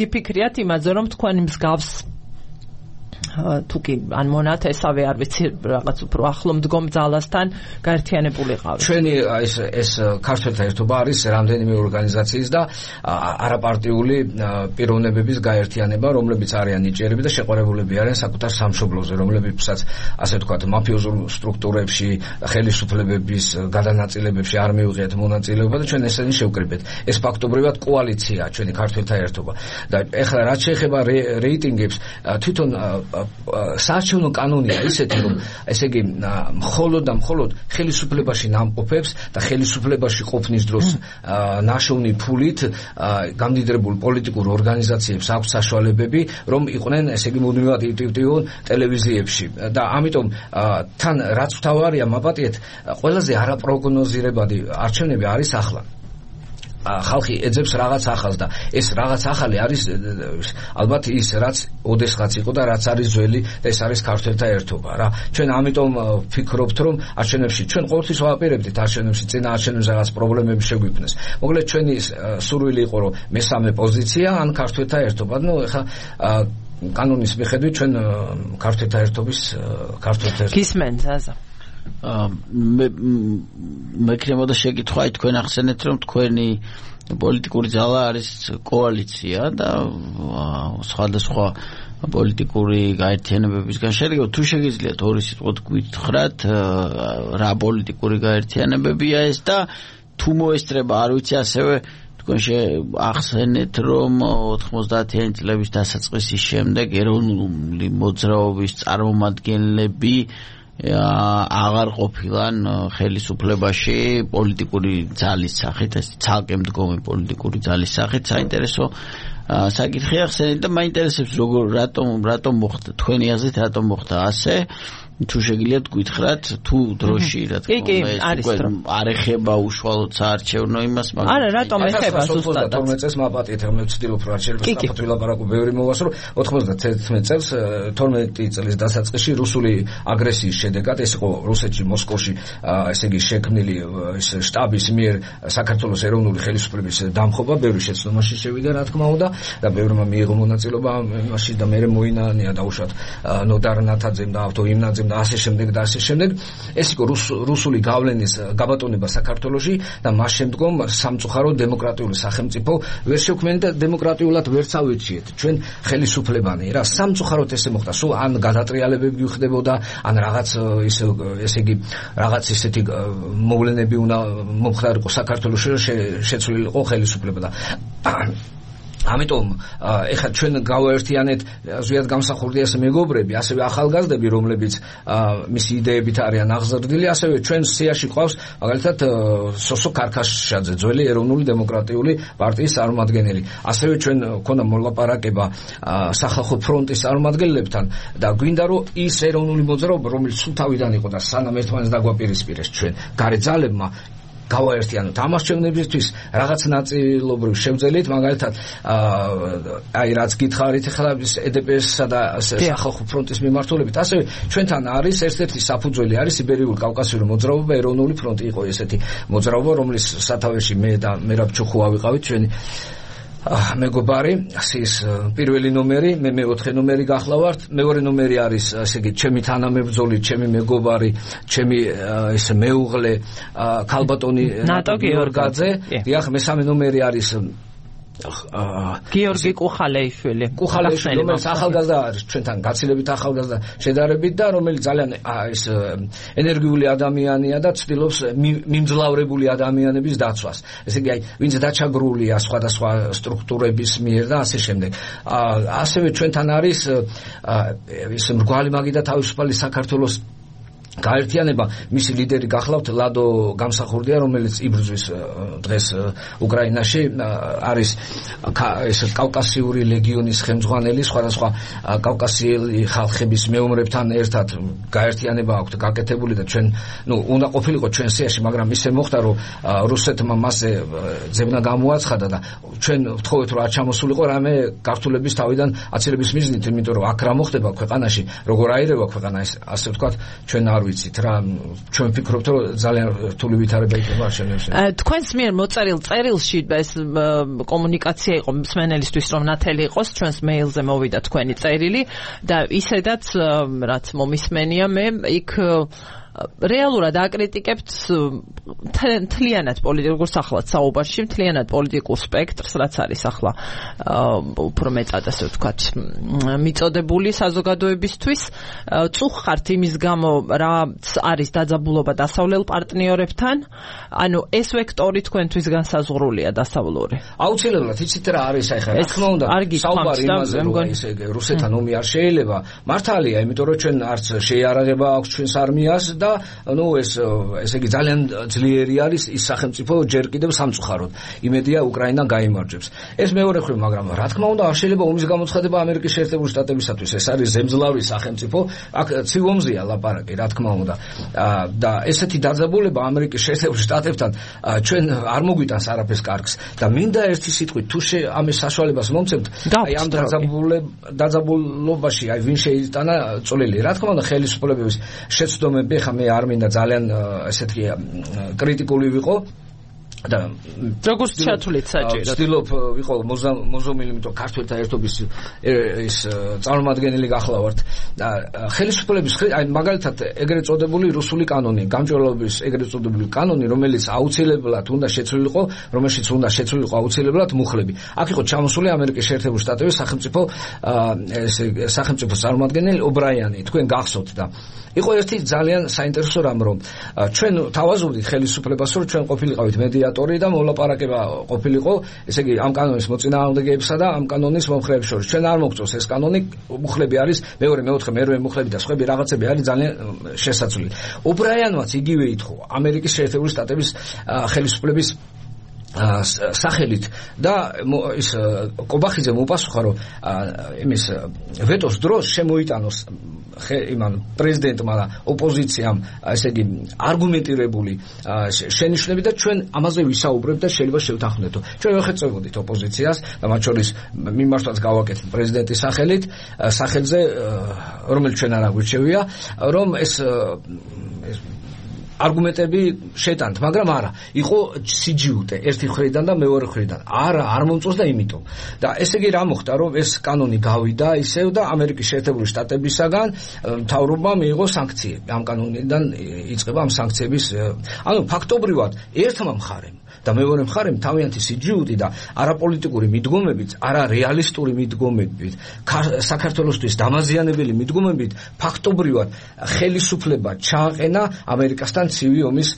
გიფიქრიათ იმაზე რომ თქვენი მსგავს თუ კი ან მონათესავე არ ვიცი რაღაც უფრო ახლო მდგომ ძალასთან გაერთიანებულიყავით. ჩვენი ეს ქართველთა ერთობა არის რამდენიმე ორგანიზაციის და არაპარტიული პიროვნებების გაერთიანება, რომლებიც არიან ნიჭიერები და შეყვარებულები არიან საკუთარ სამშობლოზე, რომლებიცაც ასე ვთქვათ მაფიოზურ სტრუქტურებში, ხელისუფლებების გადანაწილებებში არ მივიღეთ მონაწილეობა და ჩვენ ესენი შევკრიბეთ. ეს ფაქტობრივად კოალიციაა ჩვენი ქართველთა ერთობა. და ეხლა რაც შეეხება რეიტინგებს, თვითონ საარჩევნო კანონია ისეთი რომ ესე იგი მხოლოდ და მხოლოდ ხელისუფლებაში ნამყოფებს და ხელისუფლებაში ყოფნის დროს ნაშოვნი ფულით გამდიდრებულ პოლიტიკურ ორგანიზაციებს აქვს საშუალებები რომ იყვნენ ესე იგი მუდმივად აქტიურონ ტელევიზიებში და ამიტომ თან რაც ვთავარია მაპატიეთ ყველაზე არაპროგნოზირებადი არჩევნები არის ახლა ხალხი ეძებს რაღაც ახალს და ეს რაღაც ახალი არის ალბათ ის რაც ოდესღაც იყო და რაც არის ძველი და ეს არის ქართველთა ერთობა რა. ჩვენ ამიტომ ვფიქრობთ რომ არჩევნებში ჩვენ ყოველთვის ვაპირებდით არჩევნებში წინა არჩევნებზე რაღაც პრობლემები შეგვიქმნეს. მოკლედ ჩვენი სურვილი იყო რომ მესამე პოზიცია ან ქართველთა ერთობა. ნუ ეხლა კანონის მიხედვით ჩვენ ქართველთა ერთობის გისმენთ აზა მე ქნებოდა შეკითხვა თქვენ ახსენეთ რომ თქვენი პოლიტიკური ძალა არის კოალიცია და სხვადასხვა პოლიტიკური გაერთიანებებისგან შედგება. თუ შეგიძლიათ ორი სიტყვით გითხრათ რა პოლიტიკური გაერთიანებებია ეს და თუ მოესწრება არ ვიცი ასევე თქვენ ახსენეთ რომ 90-იანი წლების დასაწყისის შემდეგ ეროვნული მოძრაობის წარმომადგენლები აღარ ყოფილან ხელისუფლებაში პოლიტიკური ძალის სახით, ეს ცალკე მდგომი პოლიტიკური ძალის სახით. საინტერესო საკითხი ახსენეთ და მაინტერესებს რატომ მოხდა თქვენი აზრით რატომ მოხდა ასე თუ შეგიძლიათ გითხრათ თუ დროში რა თქმა უნდა არ ეხება უშუალოდ საარჩევნო იმას მაგრამ არა რატომ ეხება ზუსტად 12 წელს მაპატიეთ რომ ვცდილობ რომ არჩევნებს საფრთხე ვილაპარაკო ბევრი მოვასწრო 91 წელს 12 წლის დასაწყისში რუსული აგრესიის შედეგად ეს იყო რუსეთში მოსკოვში ესე იგი შექმნილი ეს შტაბის მიერ საქართველოს ეროვნული ხელისუფლების დამხობა ბევრი შეცდომაში შევიდა რა თქმა უნდა და ბევრმა მიიღო მონაწილეობა იმაში და მე მოინანია დაუშვათ ნოდარ ნათაძემ და ავტო იმნაძემ და ასე შემდეგ და ასე შემდეგ ეს იყო რუსული გავლენის გაბატონება საქართველოში და მას შემდგომ სამწუხარო დემოკრატიული სახელმწიფო ვერ შევქმნით და დემოკრატიულად ვერც ავირჩიეთ ჩვენ ხელისუფლებანი რა სამწუხაროდ ესე მოხდა სულ ან გადატრიალებები ხდებოდა ან რაღაც ესე იგი რაღაც ისეთი მოვლენები უნდა მომხდარიყო საქართველოში შეცვლილიყო ხელისუფლება და ამიტომ ეხლა ჩვენ გავაერთიანეთ ზუსტად გამსახურდია ეს მეგობრები, ასევე ახალგაზრდები, რომლებიც მისი იდეებით არიან აღზრდილი, ასევე ჩვენ სიაში ყავს მაგალითად სოსო ქარქაშაძე, ძველი ეროვნული დემოკრატიული პარტიის წარმომადგენელი. ასევე ჩვენ ქონდა მოლაპარაკება სახალხო ფრონტის წარმომადგენლებთან და გვინდა რომ ის ეროვნული მოძრაობა, რომელიც სულ თავიდან იყო და სანამ ერთმანეთს დაგვაპირისპირეს ჩვენ გარე ძალებმა გავაერთიანოთ ამას ჩვენებისთვის რაღაც ნაწილობრივ შევძელით მაგალითად აი რაც გითხარით ახლა EDPS-სა და სახალხო ფრონტის მიმართულებით ასევე ჩვენთან არის ერთ-ერთი საფუძველი არის იბერიული კავკასიური მოძრაობა ეროვნული ფრონტი იყო ესეთი მოძრაობა რომლის სათავეში მე და მერაბ ჩუხუა ვიყავით ჩვენი მეგობარი ის პირველი ნომერი მე მეოთხე ნომერი გახლავართ მეორე ნომერი არის ესე იგი ჩემი თანამებრძოლი ჩემი მეგობარი ჩემი ეს მეუღლე ქალბატონი ნატო გიორგაძე დიახ მესამე ნომერი არის გიორგი კუხალეიშვილი რომელიც ახალგაზრდა არის ჩვენთან გაცილებით ახალგაზრდა შედარებით და რომელიც ძალიან ეს ენერგიული ადამიანია და ცდილობს მიმძლავრებული ადამიანების დაცვას ესე იგი აი ვინც დაჩაგრულია სხვადასხვა სტრუქტურების მიერ და ასე შემდეგ ასევე ჩვენთან არის ის მრგვალი მაგი და თავისუფალი საქართველოს გაერთიანება მისი ლიდერი გახლავთ ლადო გამსახურდია რომელიც იბრძვის დღეს უკრაინაში არის ეს კავკასიური ლეგიონის ხელმძღვანელი სხვადასხვა კავკასიელი ხალხების მეომრებთან ერთად გაერთიანება აქვს გაკეთებული და ჩვენ ნუ უნდა ყოფილიყო ჩვენ სიაში მაგრამ ისე მოხდა რომ რუსეთმა მასზე ძებნა გამოაცხადა და ჩვენ ვთხოვეთ რომ არ ჩამოსულიყო რამე გართულების თავიდან აცილების მიზნით იმიტომ რომ აქ რა მოხდება ქვეყანაში როგორ აირევა ქვეყანა ეს ასე ვთქვათ ჩვენ არ ვიცით რა ჩვენ ვფიქრობთ რომ ძალიან რთული ვითარება იქნება არჩევნებში. თქვენს მიერ მოწერილ წერილში ეს კომუნიკაცია იყო მსმენელისთვის რომ ნათელი იყოს ჩვენს მეილზე მოვიდა თქვენი წერილი და ისედაც რაც მომისმენია მე იქ რეალურად აკრიტიკებთ მთლიანად პოლიტიკურ სახლად საუბარში მთლიანად პოლიტიკურ სპექტრს რაც არის ახლა უფრო მეტად ასე ვთქვათ მიწოდებული საზოგადოებისთვის წუხართ იმის გამო რაც არის დაძაბულობა დასავლელ პარტნიორებთან ანუ ეს ვექტორი თქვენთვის განსაზღვრულია დასავლური აუცილებლად იცით რა არის ახლა რა თქმა უნდა საუბარი იმაზე რომ ესე რუსეთთან ომი არ შეიძლება მართალია იმიტომ რომ ჩვენ არც შეიარაღება აქვს ჩვენს არმიას და და ესე იგი ძალიან ძლიერი არის ის სახელმწიფო ჯერ კიდევ სამწუხაროდ. იმედია უკრაინა გაიმარჯვებს. ეს მეორე მხრივ, მაგრამ რა თქმა უნდა, არ შეიძლება ომის გამოცხადება ამერიკის შეერთებული შტატებისათვის. ეს არის ზემძლავრი სახელმწიფო, აქ ცივ ომზეა ლაპარაკი, რა თქმა უნდა. და ესეთი დაძაბულება ამერიკის შეერთებულ შტატებთან ჩვენ არ მოგვიტანს არაფერს კარგს და მინდა ერთი სიტყვით თუ ამის საშუალებას მომცემთ, აი ამ დაძაბულობაში აი ვინ შეიტანა წვლილი. რა თქმა უნდა, ხელისუფლებების შეცდომები, ხა მე არ მინდა ძალიან ესეთი კრიტიკული ვიყო და როგორც ჩათვლით საჭირო. ვცდილობ ვიყო მოზომილი, იმიტომ ქართველთა ერთობის ის წარმომადგენელი გახლავართ და ხელისუფლების აი მაგალითად ეგრეთ წოდებული რუსული კანონი, გამჭვირვალობის ეგრეთ წოდებული კანონი, რომელიც აუცილებლად უნდა შეცვლილიყო, რომელშიც უნდა შეცვლილიყო აუცილებლად მუხლები. აქ იყო ჩამოსული ამერიკის შეერთებული შტატების სახელმწიფო წარმომადგენელი ობრაიანი, თქვენ გახსოვთ და იყო ერთი ძალიან საინტერესო რამ, რომ ჩვენ თავაზობდით ხელისუფლებას, რომ ჩვენ ყოფილიყავით მედიატორი და მოლაპარაკება ყოფილიყო, ესე იგი ამ კანონის მოწინააღმდეგეებსა და ამ კანონის მომხრეების შორის. ჩვენ არ მოგწონს ეს კანონი, მუხლები არის მეორე, მეოთხე, მერვე მუხლები და სხვები რაღაცები არის ძალიან შესაძლებელი. ობრაიანმაც იგივე ითხოვა ამერიკის შეერთებული შტატების ხელისუფლების სახელით და ის კობახიძე მოპასუხა, რომ იმის ვეტოს დროს შემოიტანოს იმან პრეზიდენტმა და ოპოზიციამ ესე იგი არგუმენტირებული შენიშვნები და ჩვენ ამაზე ვისაუბრებთ და შეიძლება შევთანხმდეთო. ჩვენ ვეხეწებოდით ოპოზიციას და მათ შორის მიმართვაც გავაკეთეთ პრეზიდენტის სახელზე, რომელიც ჩვენ არ აგვირჩევია, რომ ეს არგუმენტები შეტანთ, მაგრამ არა, იყო სიჯიუტე ერთი მხრიდან და მეორე მხრიდან. არ მომწონს და იმიტომ. და ესე იგი რა მოხდა, რომ ეს კანონი გავიდა ისევ და ამერიკის შეერთებული შტატებისაგან მთავრობამ მიიღო სანქციები. ამ კანონიდან იწყება ამ სანქციების, ანუ ფაქტობრივად ერთმა მხარემ და მეორე მხარემ თავიანთი სიჯიუტი და არაპოლიტიკური მიდგომებით, არარეალისტური მიდგომებით, საქართველოსთვის დამაზიანებელი მიდგომებით ფაქტობრივად ხელისუფლება ჩააყენა ამერიკასთან ცივი ომის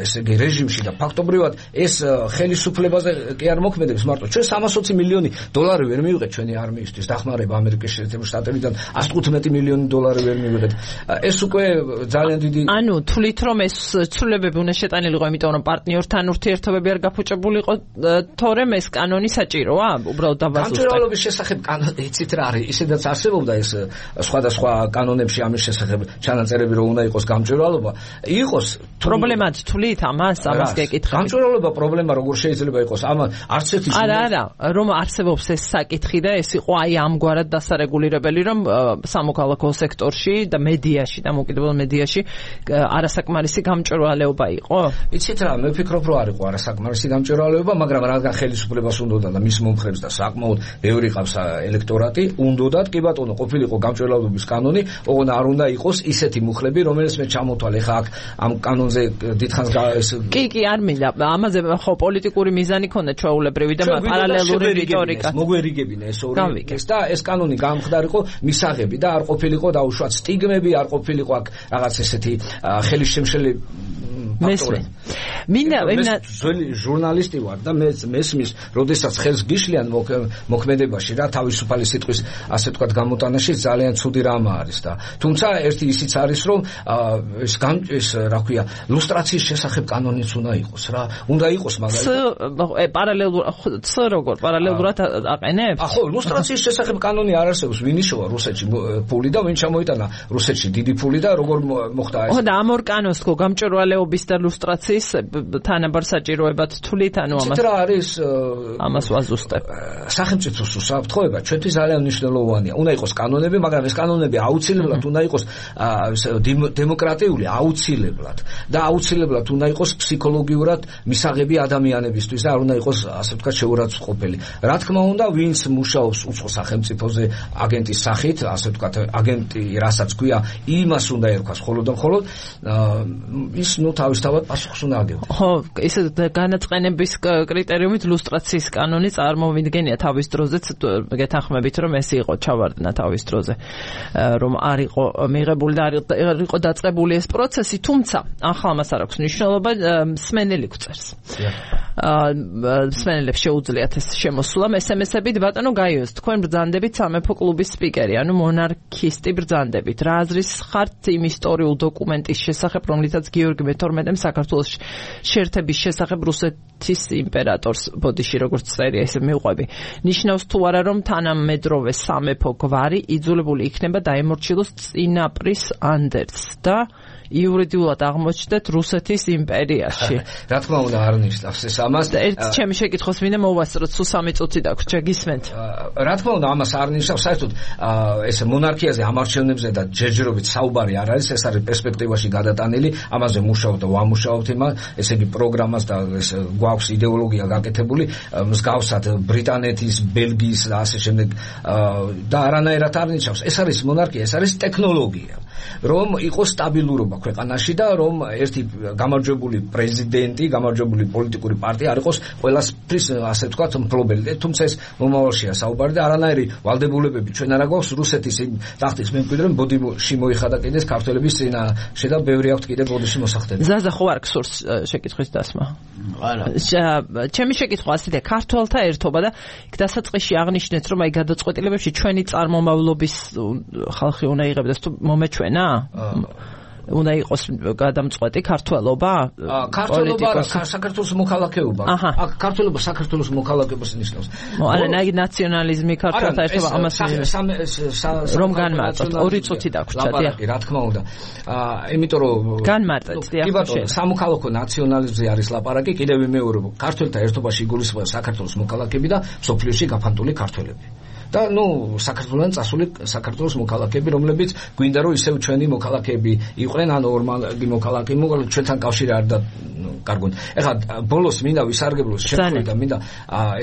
ესე იგი რეჟიმში და ფაქტობრივად ეს ხელისუფლებაზე კი არ მოქმედებს მარტო. ჩვენ 320 მილიონი დოლარი ვერ მივიღეთ ჩვენი არმიისთვის დახმარება ამერიკის შეერთებული შტატებიდან, 115 მილიონი დოლარი ვერ მივიღეთ. ეს უკვე ძალიან დიდი ანუ თვლით რომ ეს ცვლილებები უნდა შეტანილიყო, იმიტომ რომ პარტნიორთან ურთიერთობები არ გაფუჭებულიყო, თორემ ეს კანონი საჭიროა უბრალოდ დავაზუსტოთ. გამჭვირვალობის შესახებ იცით რა არის, ისედაც არსებობდა ეს სხვადასხვა კანონებში ამის შესახებ ჩანაწერები, რომ უნდა იყოს გამჭვირვალობა. იყოს პრობლემად თვლით ამას გეკითხებით. გამჭვირვალობა პრობლემა როგორ შეიძლება იყოს? არც ერთი არა, რომ არსებობს ეს საკითხი და ეს იყო აი ამგვარად დასარეგულირებელი, რომ სამოქალაქო სექტორში და მედიაში და მოკიდებულ მედიაში არასაკმარისი გამჭვირვალეობა იყო? იცით რა, მე ვფიქრობ, რომ არ იყო არასაკმარისი გამჭვირვალეობა, მაგრამ რადგან ხელისუფლებას უნდოდა და მის მომხრეებს და საკმაოდ ბევრი ყავს ელექტორატი, უნდოდათ, კი ბატონო, ყოფილიყო გამჭვირვალობის კანონი, ოღონდ არ უნდა იყოს ისეთი მუხლები, რომელიც მე ჩამოთვალე ხა აქ ამ კანონზე დიდხანს კი არ მინდა ამაზე ხო პოლიტიკური მიზანი ქონდა ჩვეულებრივი და პარალელური რიტორიკა მოგვერიგებინა ეს ორი და ეს კანონი გამხდარიყო მისაღები და არ ყოფილიყო დაუშვათ სტიგმები, არ ყოფილიყო აქ რაღაც ესეთი ხელისშემშელი მესმე. მინდა ჟურნალისტი ვარ და მესმის, როდესაც ხელს გიშლიან მოქმედებაში რა თავისუფალი სიტყვის ასე ვთქვათ გამოტანაში ძალიან ცუდი რამ არის და თუმცა ერთი ისიც არის, რომ ეს რა ქვია, ლუსტრაციის შესახებ კანონიც უნდა იყოს რა. უნდა იყოს პარალელურად აყენებს? ხო, ლუსტრაციის შესახებ კანონი არ არსებობს. ვინ იშოვა რუსეთში ფული და ვინ ჩამოიტანა რუსეთში დიდი ფული და როგორ მოხდა ეს? ხო და ამ ორ კანონს ხო გამჭვირვალეობის და ლუსტრაციის თანაბარ საჭიროებად თვლით, ანუ ამას ვაზუსტებ. სახელმწიფოს უსაფრთხოება ჩვენთვის ძალიან მნიშვნელოვანია. უნდა იყოს კანონები, მაგრამ ეს კანონები აუცილებლად უნდა იყოს დემოკრატიული, აუცილებლად და აუცილებლად უნდა იყოს ფსიქოლოგიურად მისაღები ადამიანებისთვის და არ უნდა იყოს ასე ვთქვათ შეურაცხყოფელი. რა თქმა უნდა, ვინც მუშაობს უცხო სახელმწიფოზე აგენტის სახით, ასე ვთქვათ, აგენტი რასაც ქვია, იმას უნდა ერქვას მხოლოდ და მხოლოდ ის თავისთავად პასუხს უნდა აგებდეს. ხო, ისე განაწყენების კრიტერიუმით ლუსტრაციის კანონი წარმოვიდგენია თავის დროზეც, გეთანხმებით, რომ ეს იყო ჩავარდნა თავის დროზე, რომ არ იყო მიღებული და არ იყო დაწყებული ეს პროცესი, თუმცა ახლა მას არ აქვს მნიშვნელობა, სმენელი გვწერს. მსმენელებს შეუძლიათ ეს შემოსულა SMS-ებით. ბატონო გაიოს, თქვენ ბრძანდებით სამეფო კლუბის სპიკერი, ანუ მონარქისტი ბრძანდებით. რა აზრის ხართ იმ ისტორიულ დოკუმენტის შესახებ, რომლითაც გიორგი მე-12-მ საქართველოს შეერთების შესახებ რუსეთის იმპერატორს ბოდიში როგორც წერია, ესე მივყვები. ნიშნავს თუ არა, რომ თანამედროვე სამეფო გვარი იძულებული იქნება დაემორჩილოს წინაპრის ანდერძს და იურიდიულად აღმოჩნდეთ რუსეთის იმპერიაში. რა თქმა უნდა არ ნიშნავს ეს ამას. ერთ ჩემი შეკითხვას მინდა მოვასწროთ, სულ 3 წუთი დაგვრჩა, გისმენთ? რა თქმა უნდა ამას არ ნიშნავს, საერთოდ ეს მონარქიაზე ამარჩევნებზე და ჯერჯერობით საუბარი არ არის, ეს არის პერსპექტივაში გადატანილი, ამაზე მუშაობთ და ვამუშაობთ იმას, ესე იგი პროგრამას და ეს გვაქვს იდეოლოგია გაკეთებული, მსგავსად ბრიტანეთის, ბელგიის და ასე შემდეგ და არანაირად არ ნიშნავს. ეს არის მონარქია, ეს არის ტექნოლოგია. რომ იყოს სტაბილურობა ქვეყანაში და რომ ერთი გამარჯვებული პრეზიდენტი, გამარჯვებული პოლიტიკური პარტია არ იყოს ყველასთვის ასე ვთქვათ მფლობელი. თუმცა ეს მომავალშია საუბარი და არანაირი ვალდებულებები ჩვენ არ აქვს რუსეთის ტახტის მემკვიდრემ ბოდიში მოიხადა კიდეს ქართველების წინაშე და ბევრი აქვთ კიდე ბოდიში მოსახდები. ზაზა ხო არ გსურს შეკითხვის დასმა? არა. ჩემი შეკითხვა ასეთი, ქართველთა ერთობა და დასაწყისში აღნიშნეთ, რომ აი გადაწყვეტილებებში ჩვენი წარმომავლობის ხალხი უნდა იღებდეს თუ მომეჩვენა? უნდა იყოს გადამწყვეტი ქართველობა? ქართველობა საქართველოს მოქალაქეობა. აქ ქართველობა საქართველოს მოქალაქეობას ნიშნავს. არა, ნაციონალიზმი ქართველთა ერთობა ამას რომ განმარტოთ. 2 წუთი დაგვრჩა, დიახ. რა თქმა უნდა. იმიტომ რომ განმარტეთ, დიახ. კი ბატონო, სამოქალაქო ნაციონალიზმზე არის ლაპარაკი, კიდევ ვიმეორებ, ქართველთა ერთობაში იგულისხმება საქართველოს მოქალაქეები და სოფლიოში გაფანტული ქართველები. და საქართველოსთან წასული საქართველოს მოქალაქეები, რომლებიც გვინდა რომ ისევ ჩვენი მოქალაქეები იყვნენ, ან ორმაგი მოქალაქეები, ჩვენთან კავშირი არ და კარგონ. ეხლა ბოლოს მინდა ვისარგებლოს შეხვედრა და მინდა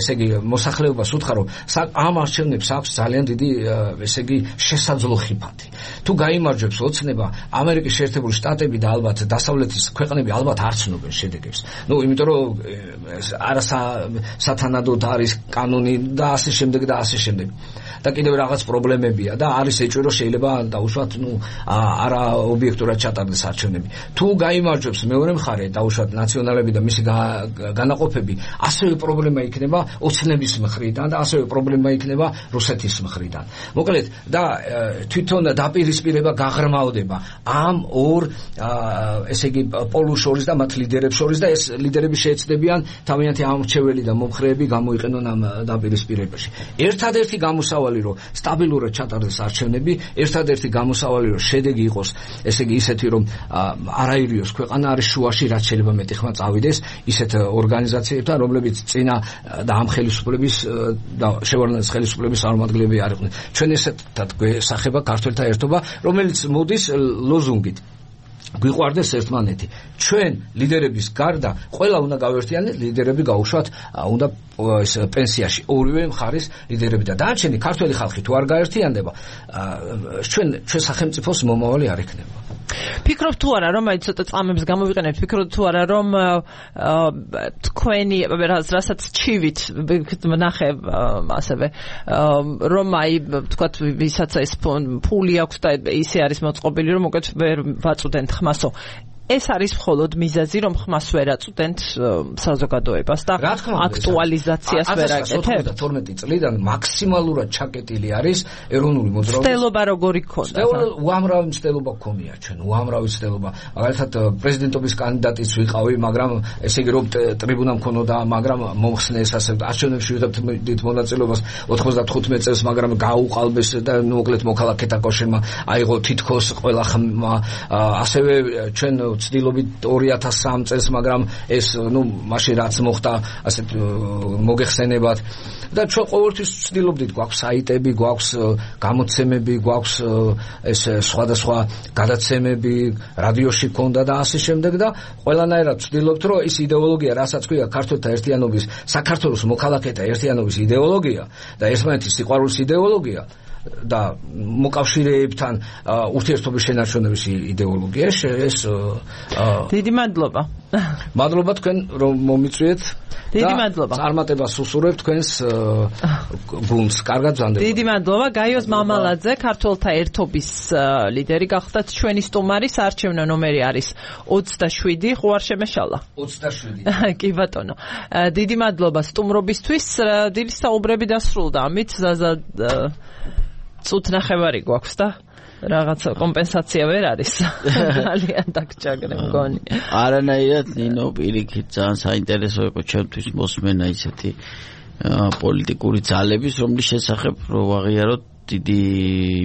ესე იგი მოსახლეობას უთხრა, რომ ამ არჩევნებს აქვს ძალიან დიდი ესე იგი შესაძლო ხიფათი. თუ გაიმარჯვებს ოცნება, ამერიკის შეერთებული შტატები და ალბათ დასავლეთის ქვეყნები ალბათ არ ცნობენ შედეგებს. იმიტომ რომ არასათანადოდ არის კანონი და ასე შემდეგ და ასე შემდეგ. და კიდევ რაღაც პრობლემებია და არის ეჭვი რომ შეიძლება დაუშვათ არა ობიექტურად ჩატარდეს არჩევნები. თუ გაიმარჯვებს მეორე მხარე დაუშვათ ნაციონალები და მისი განაყოფები, ასევე პრობლემა იქნება ოცნების მხრიდან და ასევე პრობლემა იქნება რუსეთის მხრიდან. მოკლედ და თვითონ დაპირისპირება გაღრმავდება ამ ორ ესე იგი პოლუს შორის და მათ ლიდერებს შორის და ეს ლიდერები შეეცდებიან თავიანთი ამრჩეველი და მომხრეები გამოიყენონ ამ დაპირისპირებაში. ერთადერთი გამოსავალი რომ სტაბილურად ჩატარდეს არჩევნები, ერთადერთი გამოსავალი რომ შედეგი იყოს, ესე იგი ისეთი რომ არაირიოს ქვეყანა არის შუაში, რაც შეიძლება მეტი ხმა წავიდეს ისეთ ორგანიზაციებთან, რომლებიც წინა და ამ ხელისუფლების და შევარდნაძის ხელისუფლების წარმომადგენლები არ იყვნენ. ჩვენ ესეთად გვესახება ქართველთა ერთობა, რომელიც მოდის ლოზუნგით გვიყვარდეს ერთმანეთი. ჩვენ ლიდერების გარდა ყველა უნდა გავერთიანდეს, ლიდერები გაუშვათ უნდა ეს პენსიაში ორივე მხარის ლიდერები და დანარჩენი ქართველი ხალხი თუ არ გაერთიანდება, ჩვენ სახელმწიფოს მომავალი არ ექნება. ფიქრობ თუ არა რომ აი ცოტა წამებს გამოვიყენებთ, ფიქრობ თუ არა რომ თქვენი რასაც ჩივით ნახე ასევე რომ აი თქვათ ვისაც ეს ფული აქვს და ისე არის მოწყობილი რომ უკეთ ვერ ვაწუდენთ ხმასო. ეს არის მხოლოდ მიზეზი, რომ ხმას ვერ აწვდენთ საზოგადოებას და აქტუალიზაციას ვერ აკეთებთ. 92 წლიდან მაქსიმალურად ჩაკეტილი არის ეროვნული მოძრაობის. მცდელობა როგორი გქონდა? უამრავი მცდელობა გქონია ჩვენ, უამრავი მცდელობა. მაგალითად პრეზიდენტობის კანდიდატიც ვიყავი, მაგრამ ესე იგი რომ ტრიბუნა მქონოდა, მაგრამ მომხსნეს ასე არჩევნებში ვიღებთ მონაწილეობას 95 წელს, მაგრამ გაუყალბეს და მოკლედ მოქალაქეთა კავშირმა აიღო თითქოს ყველა ხმა, ასევე ჩვენ ცდილობით 2003 წელს, მაგრამ ეს მაშინ რაც მოხდა ასეთ მოგეხსენებათ და ჩვენ ყოველთვის ცდილობდით, გვაქვს საიტები, გვაქვს გამოცემები, გვაქვს ეს სხვადასხვა გადაცემები, რადიოში ქონდა და ასე შემდეგ და ყველანაირად ცდილობთ, რომ ის იდეოლოგია, რასაც ქვია ქართველთა ერთიანობის, საქართველოს მოქალაქეთა ერთიანობის იდეოლოგია და ერთმანეთის სიყვარულის იდეოლოგია, და მოკავშირეებთან ურთიერთობის შენარჩუნების იდეოლოგია ეს დიდი მადლობა. მადლობა თქვენ რომ მომიწვიეთ. დიდი მადლობა. წარმატებას უსურვებ თქვენს გუნდს. კარგად ბრძანდება. დიდი მადლობა. გაიოს მამალაძე, ქართველთა ერთობის ლიდერი გახდათ ჩვენი სტუმარი. საარჩევნო ნომერი არის 27. ხო არ შემეშალა? 27. კი ბატონო. დიდი მადლობა სტუმრობისთვის. დილის საუბრები დასრულდა. ამით ზაზა წუთ ნახევარი გვაქვს და რაღაცა კომპენსაცია ვერ არის. ძალიან დაგჭაგრე მგონი. არანაირად ნინო პირიქით ძალიან საინტერესო იყო ჩემთვის მოსმენა ისეთი პოლიტიკური ძალების, რომლის შესახებ რო ვაღიაროთ დიდი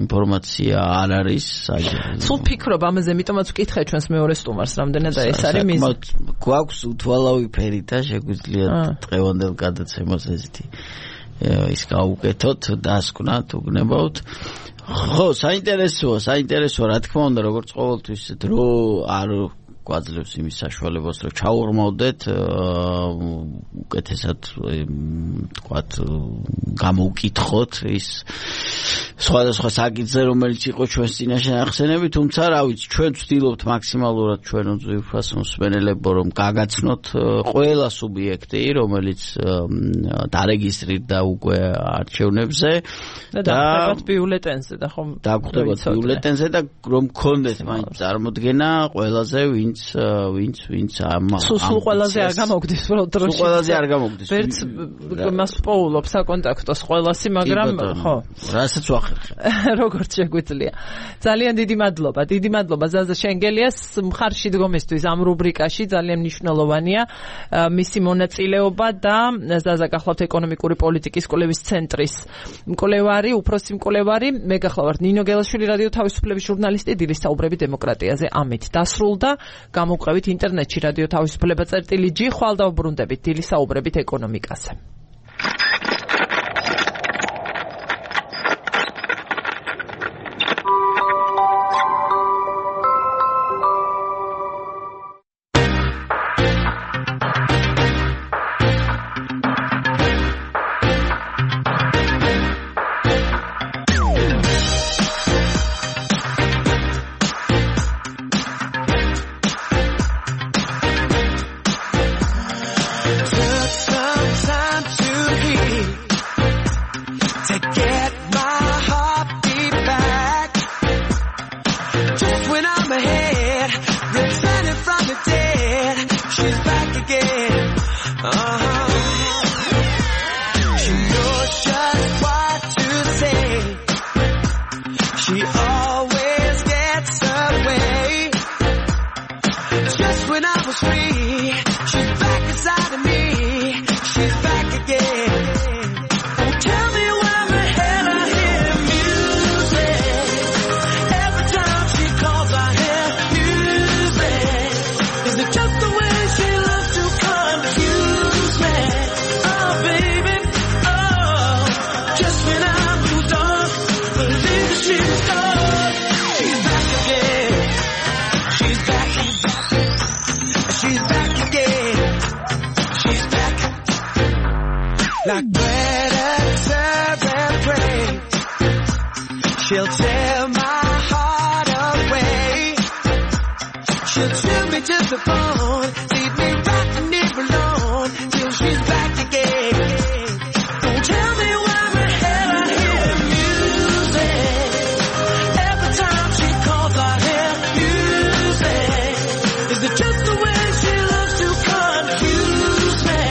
ინფორმაცია არ არის საერთოდ. სულ ფიქრობ ამაზე, ამიტომაც ვკითხე ჩვენს მეორე სტუმარს, რამდენად ეს არის მიზანი. გვაქვს უთვალავი ფერი და შეგვიძლია დღევანდელ გადაცემას ესეთი ის გაუკეთოთ, დასკვნათ, უგნებავთ. ხო, საინტერესოა, რა თქმა უნდა, როგორც ყოველთვის დრო არ გვაძლევს იმის საშუალებას, რომ ჩაურმავდეთ უკეთესად თქვათ გამოვკითხოთ ის სხვადასხვა საკითხზე, რომელიც იყო ჩვენს წინაშე ნახსენები, თუმცა რა ვიცი, ჩვენ ვცდილობთ მაქსიმალურად ჩვენ უძვირფას მსმენელებო რომ გაგაცნოთ ყველა სუბიექტი, რომელიც დარეგისტრირდა უკვე არჩევნებზე და დაგვხვდებათ ბიულეტენზე და ხომ დაგვხვდებათ ბიულეტენზე და რომ გქონდეთ მაინც წარმოდგენა ყველაზე ვინც სულ ყველაზე არ გამოგდის პროდროში. სულ ყველაზე არ გამოგდის. ვერც მას პოულობს საკონტაქტოს ყველასი, მაგრამ ხო. რასაც ვახერხებ. როგორც შეგვიძლია. ძალიან დიდი მადლობა. დიდი მადლობა ზაზა შენგელიას მხარში დგომისთვის ამ რუბრიკაში ძალიან მნიშვნელოვანია მისი მონაწილეობა და ზაზა გახლავთ ეკონომიკური პოლიტიკის კვლევის ცენტრის მკვლევარი, უფროსი მკვლევარი. მე გახლავართ ნინო გელაშვილი, რადიო თავისუფლების ჟურნალისტი, დილის საუბრები დემოკრატიაზე. ამით დასრულდა. გამოვყევით ინტერნეტში რადიო თავისუფლება წერტილი.g. ხვალ დავბრუნდებით დილის საუბრებით ეკონომიკაზე. Like predator and prey, she'll tear my heart away. She'll chill me to the bone, leave me rocking it alone till she's back again. Don't tell me why the hell I hear music. Every time she calls I hear music. Is it just the way she loves to confuse me?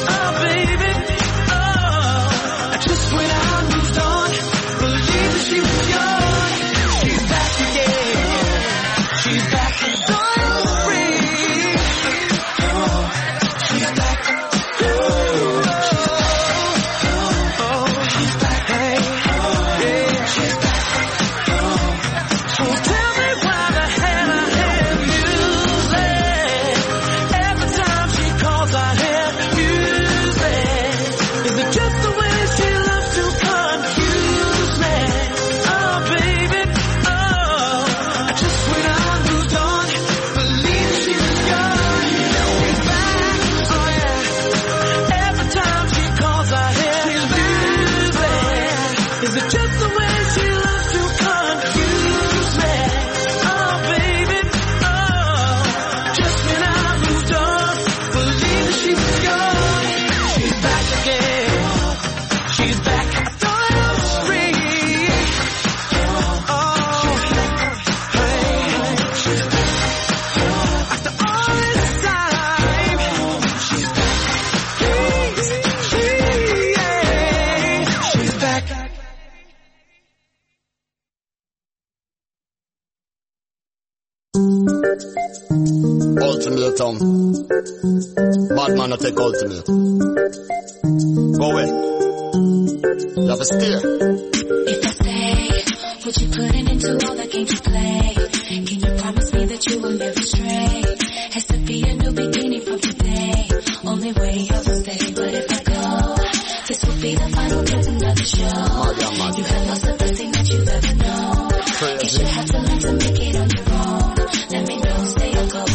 Oh baby, just when I moved on, believe that she was yours. She's back again. She's back and going free. Ultimatum. Bad man no take ultimate. Go away. You have to stay. If I stay, would you put an end to all the games you play? Can you promise me that you will never stray? Has to be a new beginning from today. Only way I will stay, but if I go, this will be the final curtain of the show. You have lost the best thing that you've ever known. Guess you have to learn to make it on your own. Let me know, stay or go.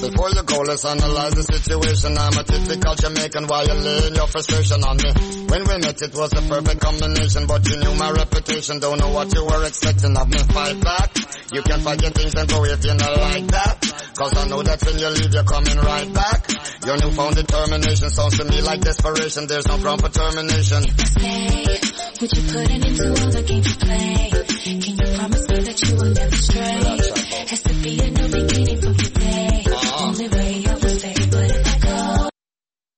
Before you go, let's analyze the situation. I'm a typical Jamaican, why you laying your frustration on me? When we met, it was a perfect combination, but you knew my reputation. Don't know what you were expecting of me. Fight back. You can forget things and go if you not like that. Cause I know that when you leave, you're coming right back. Your newfound determination sounds to me like desperation. There's no ground for termination. If I stay, would you put an end to all the games you play? Can you promise me that you will never stray? Has to be a